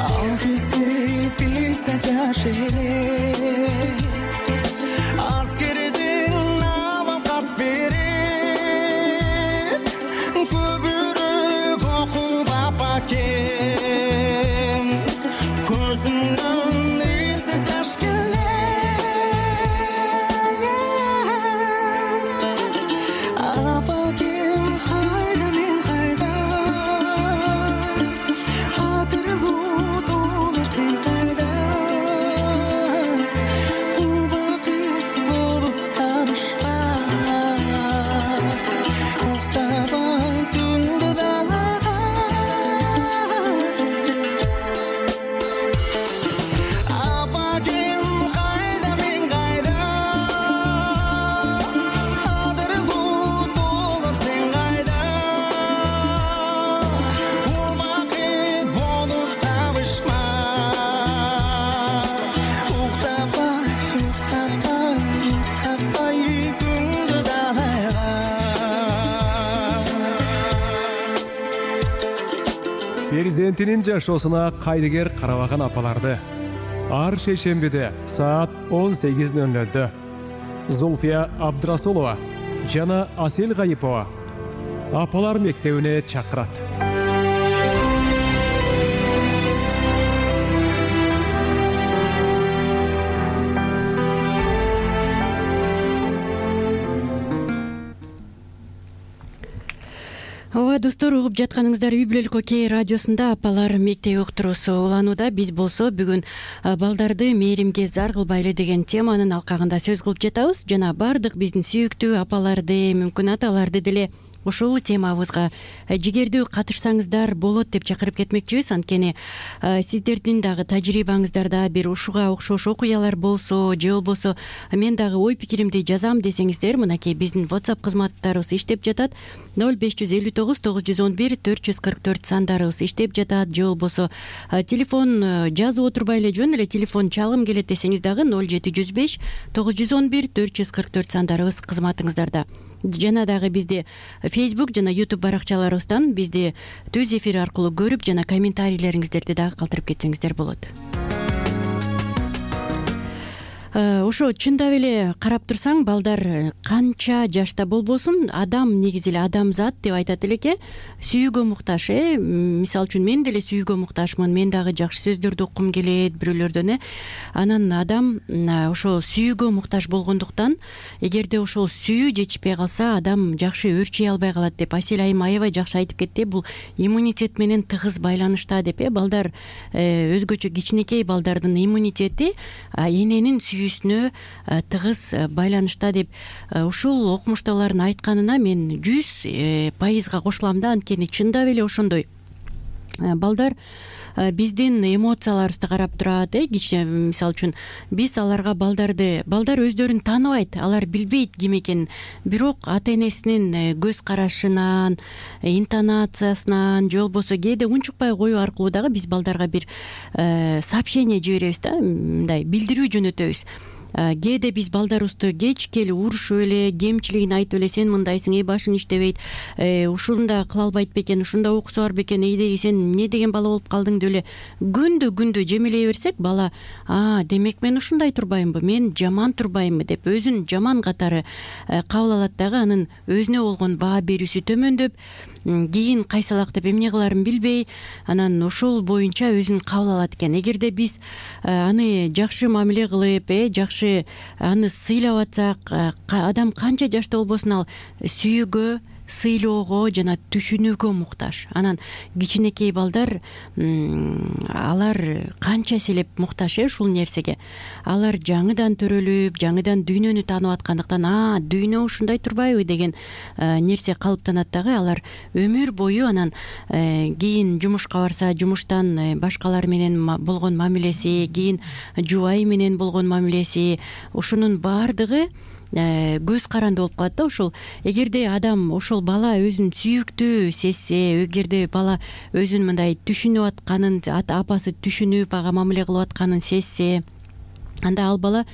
ал кезде биз да жаш элек аскерден абалкат берет көбүрөөк окуп апакем көзүмдөн эсе жаш келет апакем кайда мен кайда адырлуу толор сен кайда убакыт болуп табышма уктабай түндү далайга апакем кайда мен кайда адырлуу толор сен кайда убакыт болуп табышма уктабай түндү далайга перзентинин жашоосуна кайдыгер карабаган апаларды ар шейшембиде саат 18:00 Зульфия Абдрасулова жана Асел Гайипова апалар мектебине чакырат. ооба достор, угуп жатканыңыздар үй бүлөлүк окей радиосунда апалар мектеби уктуруусу уланууда. Биз болсо бүгүн балдарды мээримге зар кылбайлы деген теманын алкагында сөз кылып жатабыз. Жана бардык биздин сүйүктүү апаларды, мүмкүн аталарды деле ушул темабызга жигердүү катышсаңыздар болот деп чакырып кетмекчибиз. Анткени сиздердин дагы тажрыйбаңыздарда бир ушуга окшош окуялар болсо же болбосо мен дагы ой пикиримди жазам десеңиздер, мынакей биздин WhatsApp кызматтарыбыз иштеп жатат. 0559 911 444 сандарыбыз иштеп жатат. Же болбосо телефон жазып отурбай эле жөн эле телефон чалым келет десеңиз дагы 0715 911 444 сандарыбыз кызматыңыздарда. Жана дагы бизди Facebook жана YouTube баракчаларыбыздан бизди түз эфир аркылуу көрүп жана комментарийлериңиздерди дагы калтырып кетсеңиздер болот. Ошо чындап эле карап турсаң, балдар канча жашта болбосун, адам негизи эле адамзат деп айтат элеке, сүйүүгө муктаж. Мисалы үчүн мен деле сүйүүгө муктажмын, мен дагы жакшы сөздөрдү уккум келет бирөөлөрдөн. Анан адам ошо сүйүүгө муктаж болгондуктан, эгерде ошол сүйүү жетишпей калса, адам жакшы өрчөй албай калат деп Асел айым аябай жакшы айтып кетти. Бул иммунитет менен тыгыз байланышта деп. Балдар өзгөчө кичинекей балдардын иммунитети эненин сүйүүсүнө тыгыз байланышта деп ушул окумуштуулардын айтканына мен 100% кошулам да. Анткени чындап эле ошондой. Балдар биздин эмоцияларыбызды карап турат. Мисалы үчүн биз аларга балдар өздөрүн тааныбайт, алар билбейт ким экенин, бирок ата энесинин көз карашынан, интонациясынан же болбосо кээде унчукпай коюу аркылуу дагы биз балдарга бир сообщение жиберебиз да, мындай билдирүү жөнөтөбүз. кээде биз балдарыбызды кечке эле урушуп эле кемчилигин айтып эле сен мындайсың, башың иштебейт, ушунда кыла албайт бекен, ушунда окуусу бар бекен, сен эмне деген бала болуп калдың деп эле күндү жемелей берсек, бала демек мен ушундай турбаймынбы, мен жаман турбаймынбы деп өзүн жаман катары кабыл алат дагы. Анын өзүнө болгон баа берүүсү төмөндөп, кийин кайсалак деп эмне кыларын билбей, анан ошол боюнча өзүн кабыл алат экен. Эгерде биз аны жакшы мамиле кылып, жакшы аны сыйлап атсак, адам канча жашта болбосун ал сүйүүгө, сыйлоого жана түшүнүүгө муктаж. Анан кичинекей балдар алар канча селеп муктаж ушул нерсеге. Алар жаңыдан төрөлүп, жаңыдан дүйнөнү таанып аткандыктан дүйнө ушундай турбайбы деген нерсе калыптанат дагы. Алар өмүр бою анан кийин жумушка барса, жумуштан башкалар менен болгон мамилеси, кийин жубайы менен болгон мамилеси, ушунун баардыгы көз каранды болуп калат да. Ошол эгерде адам, ошол бала өзүн сүйүктүү сезсе, эгерде бала өзүн мындай түшүнүп атканын, апасы түшүнүп ага мамиле кылып атканын сезсе, анда ал бала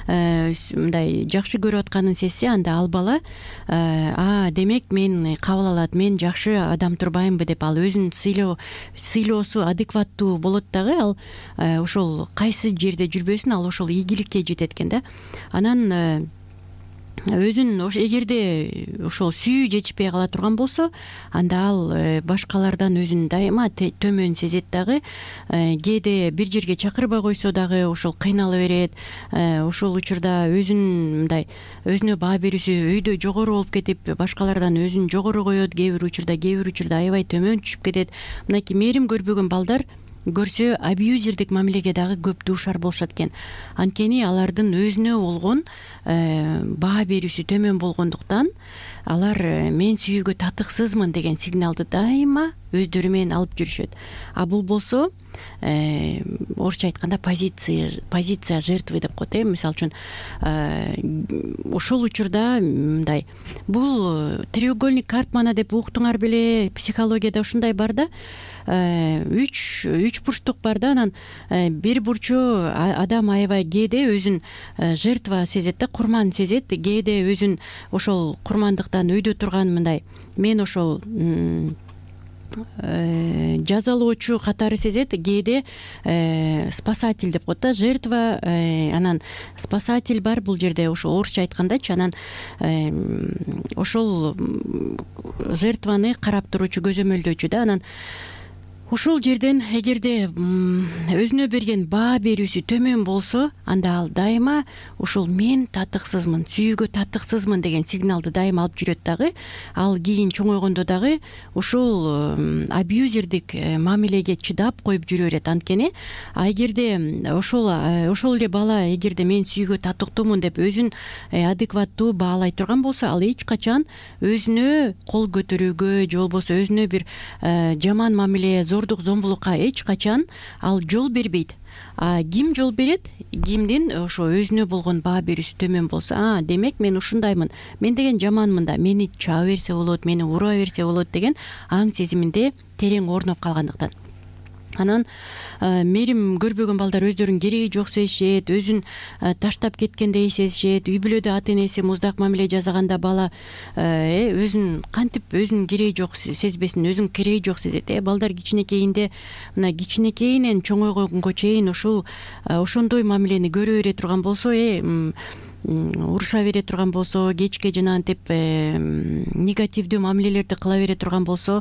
мындай жакшы көрүп атканын сезсе, анда ал бала демек мен кабыл алат, мен жакшы адам турбаймынбы деп ал өзүн сыйлоосу адекваттуу болот дагы. Ал ошол кайсы жерде жүрбөсүн, ал ошол ийгиликке жетет экен да. Анан өзүн эгерде ошол сүйүү жетишпей кала турган болсо, анда ал башкалардан өзүн дайыма төмөн сезет дагы. Кээде бир жерге чакырбай койсо дагы ошол кыйнала берет. Ошол учурда өзүн мындай өзүнө баа берүүсү өйдө жогору болуп кетип, башкалардан өзүн жогору коет. Кээ бир учурда аябай төмөн түшүп кетет. Мынакей мээрим көрбөгөн балдар көрсө абьюзердик мамилеге дагы көп дуушар болушат экен. Анткени алардын өзүнө болгон баа берүүсү төмөн болгондуктан алар мен сүйүүгө татыксызмын деген сигналды дайыма өздөрү менен алып жүрүшөт. А бул болсо орусча айтканда позиция жертвы деп коет. Мисалы үчүн ошол учурда мындай, бул треугольник Карпмана деп уктуңар беле, психологияда ушундай бар да. Үч бурчтук бар да. Анан бир бурчу адам аябай кээде өзүн жертва сезет да, курман сезет. Кээде өзүн ошол курмандыктан өйдө турган мындай, мен ошол жазалоочу катары сезет. Кээде спасатель деп коет да, жертва, анан спасатель бар бул жерде, ошол орусча айткандачы. Анан ошол жертваны карап туруучу, көзөмөлдөөчү да. Анан ушул жерден эгерде өзүнө берген баа берүүсү төмөн болсо, анда ал дайыма ушул мен татыксызмын, сүйүүгө татыксызмын деген сигналды дайыма алып жүрөт дагы. Ал кийин чоңойгондо дагы ушул абьюзердик мамилеге чыдап коюп жүрө берет. Анткени эгерде ошол эле бала эгерде мен сүйүүгө татыктуумун деп өзүн адекваттуу баалай турган болсо, ал эч качан өзүнө кол көтөрүүгө же болбосо өзүнө бир жаман мамиле, зордук зомбулукка эч качан ал жол бербейт. Ким жол берет? Кимдин ошо өзүнө болгон баа берүүсү төмөн болсо, демек мен ушундаймын, мен деген жаманмын да, мени чаба берсе болот, мени уруа берсе болот деген аң сезиминде терең орноп калгандыктан. Анан мээрим көрбөгөн балдар өздөрүн кереги жок сезишет, өзүн таштап кеткендей сезишет. Үй бүлөдө ата энеси муздак мамиле жасаганда бала өзүн кантип өзүнүн кереги жок сезбесин, өзүн кереги жок сезет. Балдар кичинекейинде, мына кичинекейинен чоңойгонго чейин ошондой мамилени көрө бере турган болсо, уруша бере турган болсо, кечке жанагынтип негативдүү мамилелерди кыла бере турган болсо,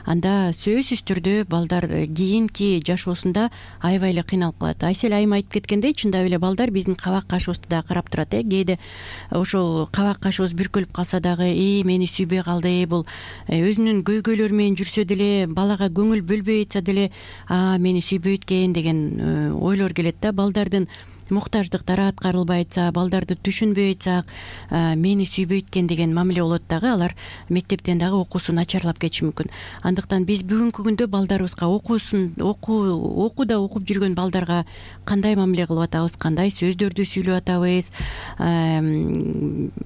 анда сөзсүз түрдө балдар кийинки жашоосунда аябай эле кыйналып калат. Айсел айым айтып кеткендей, чындап эле балдар биздин кабак кашыбызды да карап турат. Кээде ошол кабак кашыбыз бүркөлүп калса дагы, мени сүйбөй калды, бул өзүнүн көйгөйлөрү менен жүрсө деле, балага көңүл бөлбөй атса деле, мени сүйбөйт экен деген ойлор келет да. Балдардын муктаждыктары аткарылбай атса, балдарды түшүнбөй атсак, мени сүйбөйт экен деген мамиле болот дагы. Алар мектептен дагы окуусу начарлап кетиши мүмкүн. Андыктан биз бүгүнкү күндө балдарыбызга окууда окуп жүргөн балдарга кандай мамиле кылып атабыз, кандай сөздөрдү сүйлөп атабыз.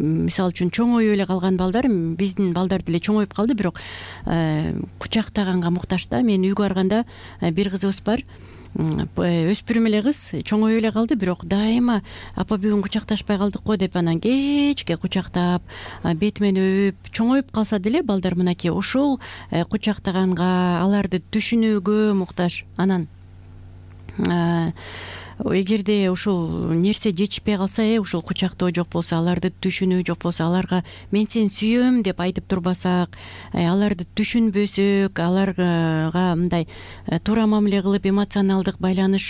Мисалы үчүн чоңоюп эле калган балдар, биздин балдар деле чоңоюп калды, бирок кучактаганга муктаж да. Мен үйгө барганда бир кызыбыз бар, 2 жашында, 3 жашында. Ал өспүрүм эле кыз чоңоюп эле калды, бирок дайыма апа бүгүн кучакташпай калдык го деп анан кечке кучактап бетимен өбүп чоңоюп калса деле балдар мынакей ушул кучактаганга, аларды түшүнүүгө муктаж. Анан эгерде ушул нерсе жетишпей калса, ушул кучактоо жок болсо, аларды түшүнүү жок болсо, аларга мен сени сүйөм деп айтып турбасак, аларды түшүнбөсөк, аларга мындай туура мамиле кылып, эмоционалдык байланыш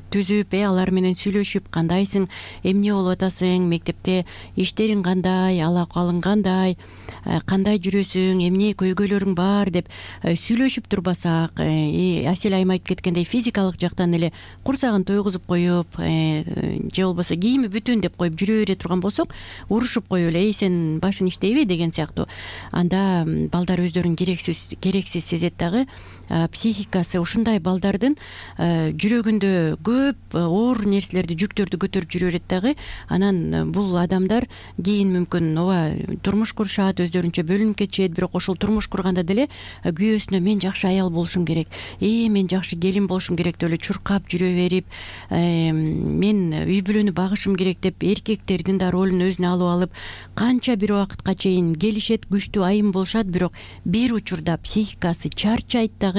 түзүп, алар менен сүйлөшүп, кандайсың, эмне болуп атасың, мектепте иштериң кандай, ал акыбалың кандай жүрөсүң, эмне көйгөйлөрүң бар деп сүйлөшүп турбасак, Асель айым айтып кеткендей физикалык жактан эле курсагын тойгузуп коюп, же болбосо кийими бүтүн деп коюп жүрө бере турган болсок, урушуп коюп эле сен башың иштейби деген сыяктуу, анда балдар өздөрүн керексиз сезет дагы. Психикасы ушундай балдардын жүрөгүндө көп оор нерселерди, жүктөрдү көтөрүп жүрө берет дагы. Анан бул адамдар кийин мүмкүн ооба турмуш курушат, өздөрүнчө бөлүнүп кетишет, бирок ошол турмуш курганда деле күйөөсүнө мен жакшы аял болушум керек, мен жакшы келин болушум керек деп эле чуркап жүрө берип, мен үй бүлөнү багышым керек деп эркектердин да ролун өзүнө алып алып, канча бир убакытка чейин келишет, күчтүү айым болушат, бирок бир учурда психикасы чарчайт дагы,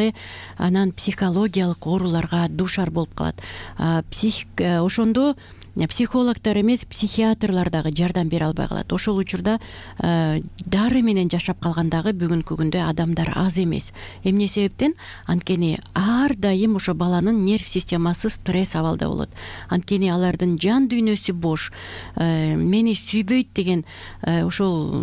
анан психологиялык ооруларга дуушар болуп калат. Ошондо психологдор эмес, психиатрлар дагы жардам бере албай калат. Ошол учурда дары менен жашап калган дагы бүгүнкү күндө адамдар аз эмес. Эмне себептен? Анткени ар дайым ошо баланын нерв системасы стресс абалда болот. Анткени алардын жан дүйнөсү бош. Мени сүйбөйт деген ошол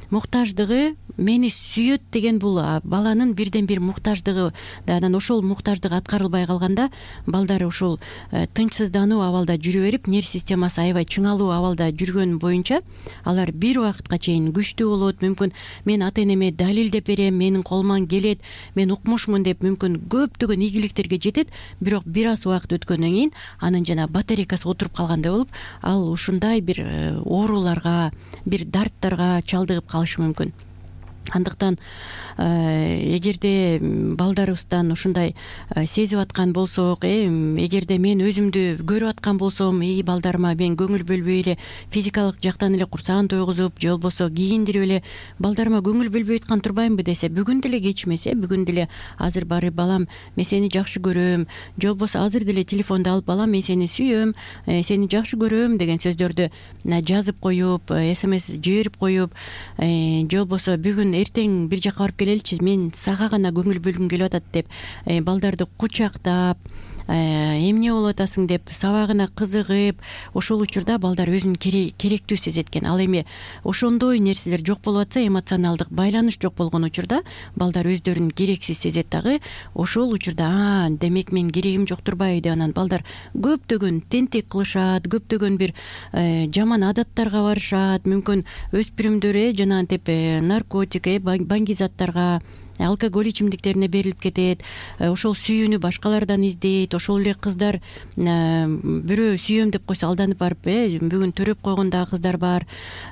муктаждыгы, мени сүйөт деген бул баланын бирден бир муктаждыгы. Анан ошол муктаждык аткарылбай калганда балдар ошол тынчсыздануу абалда жүрө берип, нерв системасы аябай чыңалуу абалда жүргөн боюнча алар бир убакытка чейин күчтүү болот. Мүмкүн мен ата энеме далилдеп берем, менин колуман келет, мен укмушмун деп мүмкүн көптөгөн ийгиликтерге жетет, бирок бир аз убакыт өткөндөн кийин анын жана батарейкасы отуруп калгандай болуп, ал ушундай бир ооруларга, бир дарттарга чалдыгып калышы мүмкүн. Андыктан эгерде балдарыбыздан ушундай сезип аткан болсок, эгерде мен өзүмдү көрүп аткан болсом, балдарыма мен көңүл бөлбөй эле физикалык жактан эле курсагын тойгузуп, же болбосо кийиндирип эле балдарыма көңүл бөлбөй аткан турбаймынбы десе, бүгүн деле кечмесе, бүгүн деле азыр барып, балам мен сени жакшы көрөм, же болбосо азыр деле телефонду алып, балам мен сени сүйөм, сени жакшы көрөм деген сөздөрдү жазып коюп, смс жиберип коюп, же болбосо бүгүн эртең бир жака барып келеличи, мен сага гана көңүл бөлгүм келип атат деп балдарды кучактап, эмне болуп атасың деп сабагына кызыгып, ошол учурда балдар өзүн керектүү сезет экен. Ал эми ошондой нерселер жок болуп атса, эмоционалдык байланыш жок болгон учурда балдар өздөрүн керексиз сезет дагы. Ошол учурда демек мен керегим жок турбайбы деп анан балдар көптөгөн тентек кылышат, көптөгөн бир жаман адаттарга барышат. Мүмкүн өспүрүмдөр жанагынтип наркотик, баңги заттарга, алкоголь ичимдиктерине берилип кетет, ошол сүйүүнү башкалардан издейт. Ошол эле кыздар бирөө сүйөм деп койсо алданып барып бүгүн төрөп койгон дагы кыздар бар.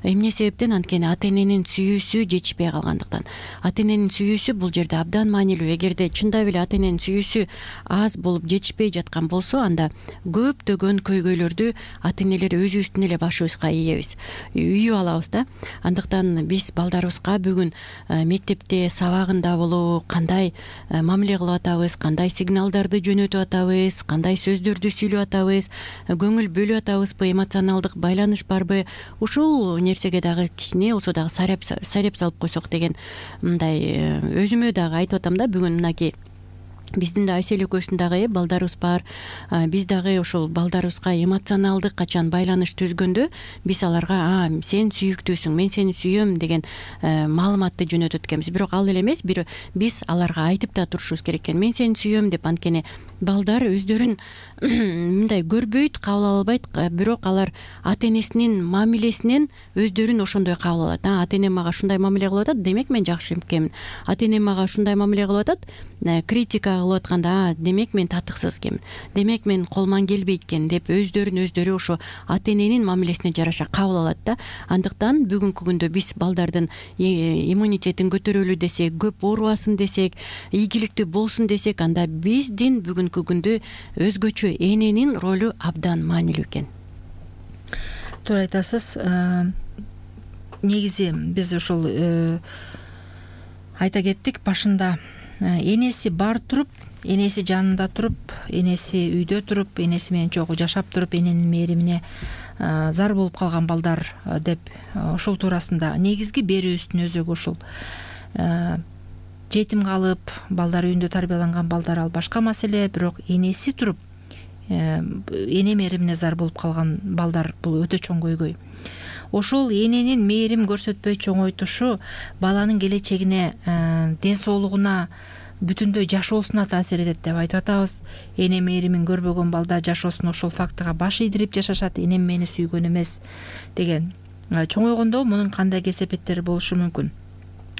Эмне себептен? Анткени ата эненин сүйүүсү жетишпей калгандыктан. Ата эненин сүйүүсү бул жерде абдан маанилүү. Эгерде чындап эле ата эненин сүйүүсү аз болуп жетишпей жаткан болсо, анда көптөгөн көйгөйлөрдү ата энелер өзүбүздүн эле башыбызга ийебиз, үйүп алабыз да. Андыктан биз балдарыбызга бүгүн мектепте сабагында болобу, кандай мамиле кылып атабыз, кандай сигналдарды жөнөтүп атабыз, кандай сөздөрдү сүйлөп атабыз, көңүл бөлүп атабызбы, эмоционалдык байланыш барбы, ушул нерсеге дагы кичине болсо дагы сареп салып койсок деген мындай өзүмө дагы айтып атам да. Бүгүн мынакей биздин да Асель экөөбүздүн дагы балдарыбыз бар. Биз дагы ошол балдарыбызга эмоционалдык качан байланыш түзгөндө биз аларга сен сүйүктүүсүң, мен сени сүйөм деген маалыматты жөнөтөт экенбиз. Бирок ал эле эмес, биз аларга айтып да турушубуз керек экен, мен сени сүйөм деп. Анткени балдар өздөрүн мындай көрбөйт, кабыл албайт, бирок алар ата энесинин мамилесинен өздөрүн ошондой кабыл алат. Ата энем мага ушундай мамиле кылып атат, демек мен жакшы экенмин. Ата энем мага ушундай мамиле кылып атат, критикага кылып атканда демек мен татыксыз экен, демек мен колман келбейт экен деп өздөрү ошо ата эненин мамилесине жараша кабыл алат да. Андыктан бүгүнкү күндө биз балдардын иммунитетин көтөрөлү десек, көп оорубасын десек, ийгиликтүү болсун десек, анда биздин бүгүнкү күндө өзгөчө эненин ролу абдан маанилүү экен. Туура айтасыз. Негизи биз ошол айта кеттик башында, энеси бар туруп, энеси жанында туруп, энеси үйдө туруп, энеси менен чогуу жашап туруп, эненин мээримине зар болуп калган балдар деп ушул туурасында негизги берүүбүздүн өзөгү ушул. Жетим калып, балдар үйүндө тарбияланган балдар ал башка маселе, бирок энеси туруп, эне мээримине зар болуп калган балдар бул өтө чоң көйгөй. Ошол эненин мээрим көрсөтпөй чоңойтушу баланын келечегине, ден соолугуна, бүтүндөй жашоосуна таасир этет деп айтып атабыз. Эне мээримин көрбөгөн балдар жашоосуна ошол фактыга баш ийдирип жашашат, энем мени сүйгөн эмес деген. Чоңойгондо мунун кандай кесепеттери болушу мүмкүн?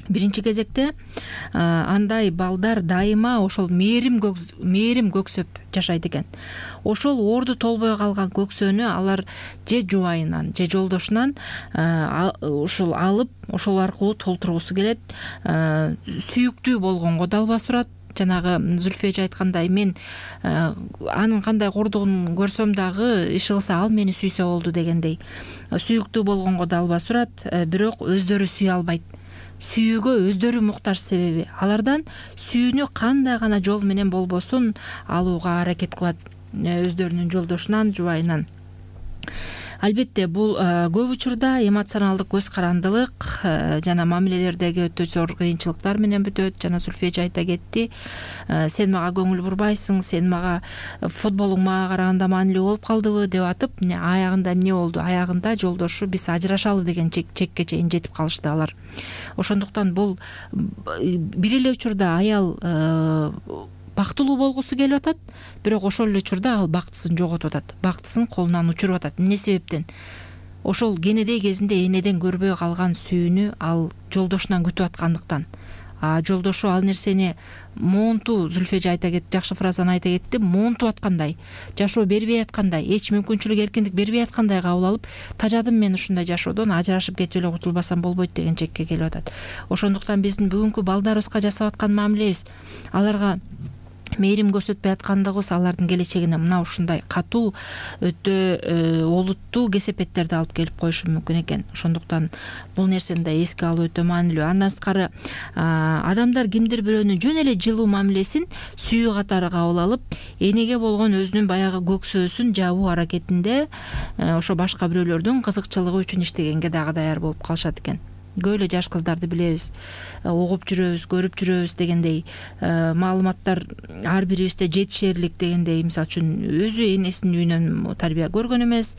Биринчи кезекте андай балдар дайыма ошол мээрим көксөп жашайт экен. Ошол орду толбой калган көксөнү алар же жубайынан, же жолдошунан ушул алып, ошол аркылуу толтургусу келет. Сүйүктүү болгонго да албас урат. Жанагы Зүлфия эже айткандай, мен анын кандай кордугун көрсөм дагы иши кылса ал мени сүйсө болду дегендей. Сүйүктүү болгонго да албас урат, бирок өздөрү сүйө албайт. Сүйүүгө өздөрү муктаж, себеби алардан сүйүүнү кандай гана жол менен болбосун алууга аракет кылат, өздөрүнүн жолдошунан, жубайынан. Албетте, бул көп учурда эмоционалдык көз карандылык жана мамилелердеги өтө зор кыйынчылыктар менен бүтөт. Жана Зүлфия эже айта кетти, сен мага көңүл бурбайсың, сен мага футболуң мага караганда маанилүү болуп калдыбы деп атып, аягында эмне болду? Аягында жолдошу биз ажырашалы деген чекке чейин жетип калышты алар. Ошондуктан бул бир эле учурда аял бактылуу болгусу келип атат, бирок ошол эле учурда ал бактысын жоготуп атат, бактысын колунан учуруп атат. Эмне себептен? Ошол кенедей кезинде энеден көрбөй калган сүйүүнү ал жолдошунан күтүп аткандыктан. Жолдошу ал нерсени монту, Зүлфия эже айта кетти, жакшы фразаны айта кетти, монтуп аткандай, жашоо бербей аткандай, эч мүмкүнчүлүк, эркиндик бербей аткандай кабыл алып, тажадым мен ушундай жашоодон, ажырашып кетип эле кутулбасам болбойт деген чекке келип атат. Ошондуктан биздин бүгүнкү балдарыбызга жасап аткан мамилебиз, аларга мээрим көрсөтпөй аткандыгыбыз алардын келечегине мына ушундай катуу, өтө олуттуу кесепеттерди алып келип коюшу мүмкүн экен. Ошондуктан бул нерсени да эске алуу өтө маанилүү. Андан сырткары адамдар кимдир бирөөнүн жөн эле жылуу мамилесин сүйүү катары кабыл алып, энеге болгон өзүнүн баягы көксөөсүн жабуу аракетинде ошо башка бирөөлөрдүн кызыкчылыгы үчүн иштегенге дагы даяр болуп калышат экен. Көп эле жаш кыздарды билебиз, угуп жүрөбүз, көрүп жүрөбүз дегендей маалыматтар ар бирибизде жетишерлик дегендей. Мисалы үчүн өзү энесинин үйүнөн тарбия көргөн эмес,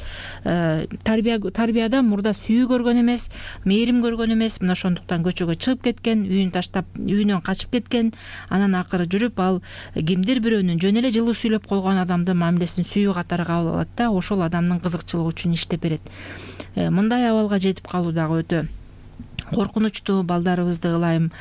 тарбиядан мурда сүйүү көргөн эмес, мээрим көргөн эмес. Мына ошондуктан көчөгө чыгып кеткен, үйүн таштап, үйүнөн качып кеткен. Анан акыры жүрүп ал кимдир бирөөнүн жөн эле жылуу сүйлөп койгон адамдын мамилесин сүйүү катары кабыл алат да, ошол адамдын кызыкчылыгы үчүн иштеп берет. Мындай абалга жетип калуу дагы өтө коркунучтуу. Балдарыбызды ылайым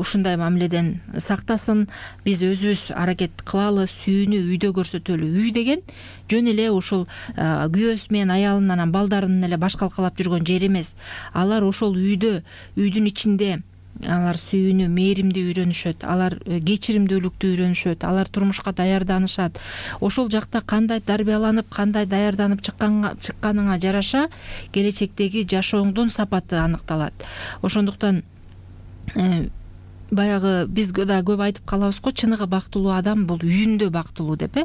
ушундай мамиледен сактасын. Биз өзүбүз аракет кылалы, сүйүүнү үйдө көрсөтөлү. Үй деген жөн эле ушул күйөөсү менен аялынын анан балдарынын эле баш калкалап жүргөн жери эмес. Алар ошол үйдө, үйдүн ичинде алар сүйүүнү, мээримди үйрөнүшөт, алар кечиримдүүлүктү үйрөнүшөт, алар турмушка даярданышат. Ошол жакта кандай тарбияланып, кандай даярданып чыкканыңа жараша келечектеги жашооңдун сапаты аныкталат. Ошондуктан баягы биз да көп айтып калабыз го, чыныгы бактылуу адам бул үйүндө бактылуу деп.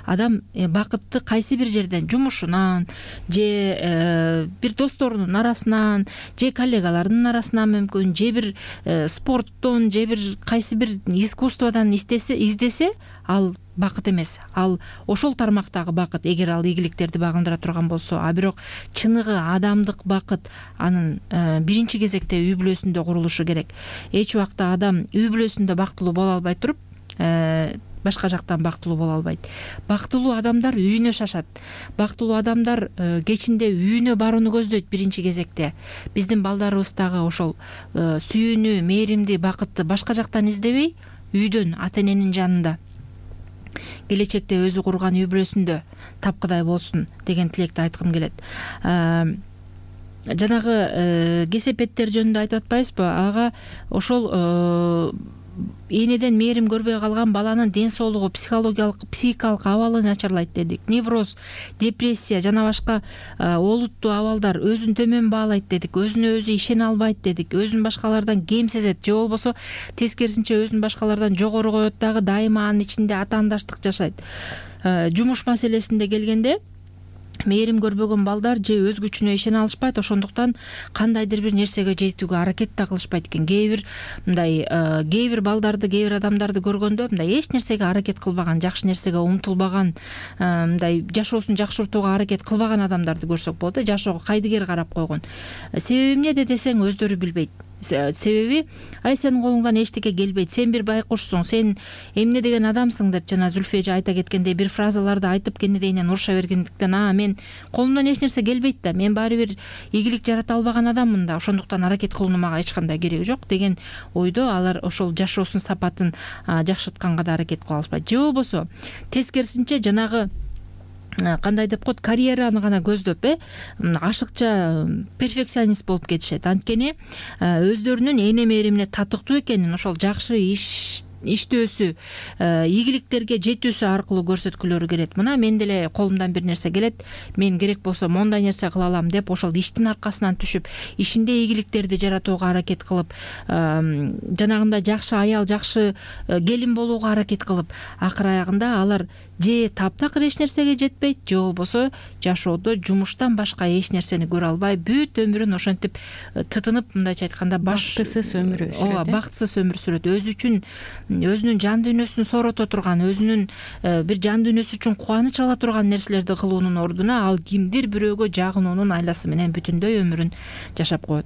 Адам бакытты кайсы бир жерден, жумушунан, же бир досторунун арасынан, же коллегаларынын арасынан мүмкүн, же бир спорттон, же бир кайсы бир искусстводан издесе, ал бакыт эмес. Ал ошол тармактагы бакыт, эгер ал ийгиликтерди багындыра турган болсо. А бирок чыныгы адамдык бакыт анын биринчи кезекте үй бүлөсүндө курулушу керек. Эч убакта адам үй бүлөсүндө бактылуу боло албай туруп, башка жактан бактылуу боло албайт. Бактылуу адамдар үйүнө шашат. Бактылуу адамдар кечинде үйүнө барууну көздөйт биринчи кезекте. Биздин балдарыбыз дагы ошол сүйүүнү, мээримди, бакытты башка жактан издебей, үйдөн, ата эненин жанында, келечекте өзү курган үй бүлөсүндө тапкыдай болсун деген тилекти айткым келет. Жанагы кесепеттер жөнүндө айтып атпайбызбы? Ага ошол энеден мээрим көрбөй калган баланын ден соолугу, психикалык абалы начарлайт дедик. Невроз, депрессия жана башка олуттуу абалдар өзүн төмөн баалайт дедик. Өзүнө өзү ишене албайт дедик. Өзүн башкалардан кем сезет же болбосо тескерисинче өзүн башкалардан жогору коет дагы, дайыма анын ичинде атаандаштык жашайт. Жумуш маселесинде келгенде мээрим көрбөгөн балдар же өз күчүнө ишене алышпайт, ошондуктан кандайдыр бир нерсеге жетүүгө аракет да кылышпайт экен. Кээ бир балдарды, кээ бир адамдарды көргөндө мындай эч нерсеге аракет кылбаган, жакшы нерсеге умтулбаган, мындай жашоосун жакшыртууга аракет кылбаган адамдарды көрсөк болот. Жашоого кайдыгер карап койгон. Себеби эмнеде десең өздөрү билбейт. Себеби ай сенин колуңдан эчтеке келбейт, сен бир байкушсуң, сен эмне деген адамсың деп жана Зүлфия эже айта кеткендей бир фразаларды айтып кенедейинен уруша бергендиктен мен колумдан эч нерсе келбейт да, мен баары бир ийгилик жарата албаган адаммын да, ошондуктан аракет кылуунун мага эч кандай кереги жок деген ойдо алар ошол жашоосунун сапатын жакшыртканга да аракет кыла алышпайт. Же болбосо тескерисинче жанагы кандай деп коет, карьераны гана көздөп ашыкча перфекционист болуп кетишет. Анткени өздөрүнүн эне мээримине татыктуу экенин, ошол жакшы иштөөсү, ийгиликтерге жетүүсү аркылуу көрсөткүлөрү келет. Мына мен деле колумдан бир нерсе келет, мен керек болсо мондай нерсе кыла алам деп ошол иштин аркасынан түшүп, ишинде ийгиликтерди жаратууга аракет кылып, жанагындай жакшы аял, жакшы келин болууга аракет кылып, акыр аягында алар же таптакыр эч нерсеге жетпейт, же болбосо жашоодо жумуштан башка эч нерсени көрө албай бүт өмүрүн ошентип тытынып, мындайча айтканда бактысыз өмүр сүрөт. Ооба, бактысыз өмүр сүрөт. Өзү үчүн, өзүнүн жан дүйнөсүн соорото турган, өзүнүн бир жан дүйнөсү үчүн кубаныч ала турган нерселерди кылуунун ордуна ал кимдир бирөөгө жагынуунун айласы менен бүтүндөй өмүрүн жашап коет.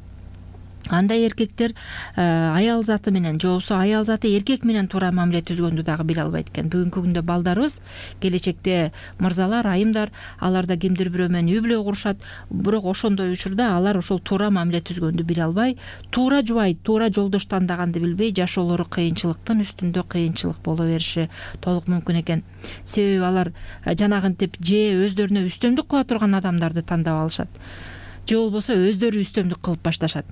Андай эркектер аял заты менен же болбосо аял заты эркек менен туура мамиле түзгөндү дагы биле албайт экен. Бүгүнкү күндө балдарыбыз, келечекте мырзалар, айымдар, алар да кимдир бирөө менен үй бүлө курушат, бирок ошондой учурда алар ошол туура мамиле түзгөндү биле албай, туура жубайт, туура жолдош тандаганды билбей, жашоолору кыйынчылыктын үстүндө кыйынчылык боло бериши толук мүмкүн экен. Себеби алар жанагынтип же өздөрүнө үстөмдүк кыла турган адамдарды тандап алышат, же болбосо өздөрү үстөмдүк кылып башташат.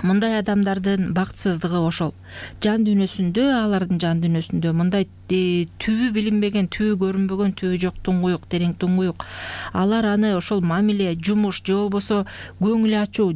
Мындай адамдардын бактысыздыгы ошол. Жан дүйнөсүндө, алардын жан дүйнөсүндө мындай түбү билинбеген, түбү көрүнбөгөн, түбү жок туңгуюк, терең туңгуюк. Алар аны ошол мамиле, жумуш же болбосо көңүл ачуу,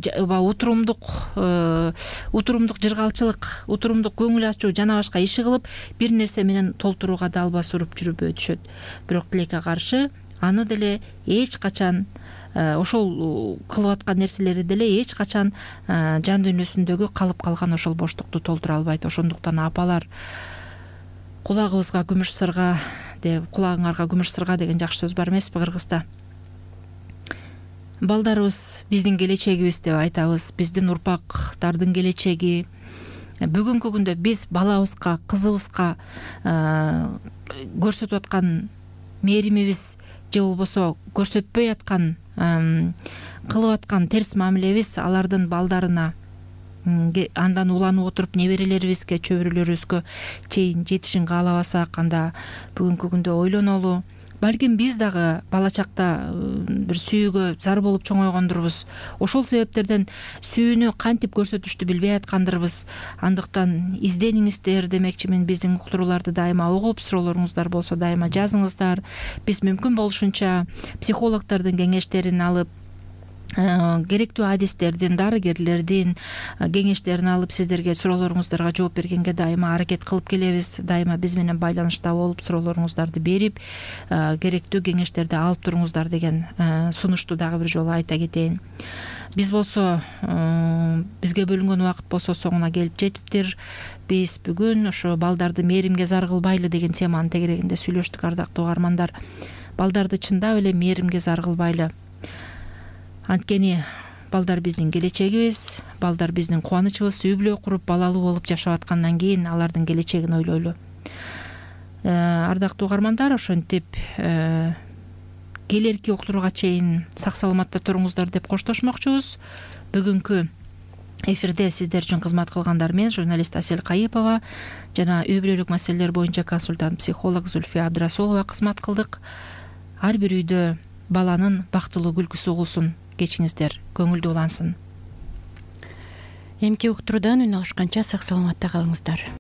утурумдук жыргалчылык, утурумдук көңүл ачуу жана башка иши кылып, бир нерсе менен толтурууга да албас уруп жүрүп өтүшөт. Бирок тилекке каршы аны деле эч качан, ошол кылып аткан нерселери деле эч качан жан дүйнөсүндөгү калып калган ошол боштукту толтура албайт. Ошондуктан апалар, кулагыбызга күмүш сырга деп, кулагыңарга күмүш сырга деген жакшы сөз бар эмеспи кыргызда? Балдарыбыз биздин келечегибиз деп айтабыз, биздин урпактардын келечеги. Бүгүнкү күндө биз балабызга, кызыбызга көрсөтүп аткан мээримибиз же болбосо көрсөтпөй аткан, кылып аткан терс мамилебиз алардын балдарына, андан уланып отуруп неберелерибизге, чөбүрөлөрүбүзгө чейин жетишин каалабасак, анда бүгүнкү күндө ойлонолу. Балким биз дагы бала чакта бир сүйүүгө зар болуп чоңойгондурбуз. Ошол себептерден сүйүүнү кантип көрсөтүштү билбей аткандырбыз. Андыктан издениңиздер демекчимин. Биздин уктурууларды дайыма угуп, суроолоруңуздар болсо дайыма жазыңыздар. Биз мүмкүн болушунча психологдордун кеңештерин алып, керектүү адистердин, дарыгерлердин кеңештерин алып, сиздерге суроолоруңуздарга жооп бергенге дайыма аракет кылып келебиз. Дайыма биз менен байланышта болуп, суроолоруңуздарды берип, керектүү кеңештерди алып туруңуздар деген сунушту дагы бир жолу айта кетейин. Биз болсо, бизге бөлүнгөн убакыт болсо соңуна келип жетиптир. Биз бүгүн ошо балдарды мээримге зар кылбайлы деген теманын тегерегинде сүйлөштүк, ардактуу угармандар. Балдарды чындап эле мээримге зар кылбайлы. Анткени балдар биздин келечегибиз, балдар биздин кубанычыбыз. Үй бүлө куруп, балалуу болуп жашап аткандан кийин алардын келечегин ойлойлу. Ардактуу угармандар, ошентип келерки уктурууга чейин сак саламатта туруңуздар деп коштошмокчубуз. Бүгүнкү эфирде сиздер үчүн кызмат кылгандар мен журналист Асель Кайыпова жана үй бүлөлүк маселелер боюнча консультант психолог Зульфия Абдрасулова кызмат кылдык. Ар бир үйдө баланын бактылуу күлкүсү угулсун, кечиңиздер көңүлдүү улансын. Эмки уктуруудан үн алышканча сак саламатта калыңыздар.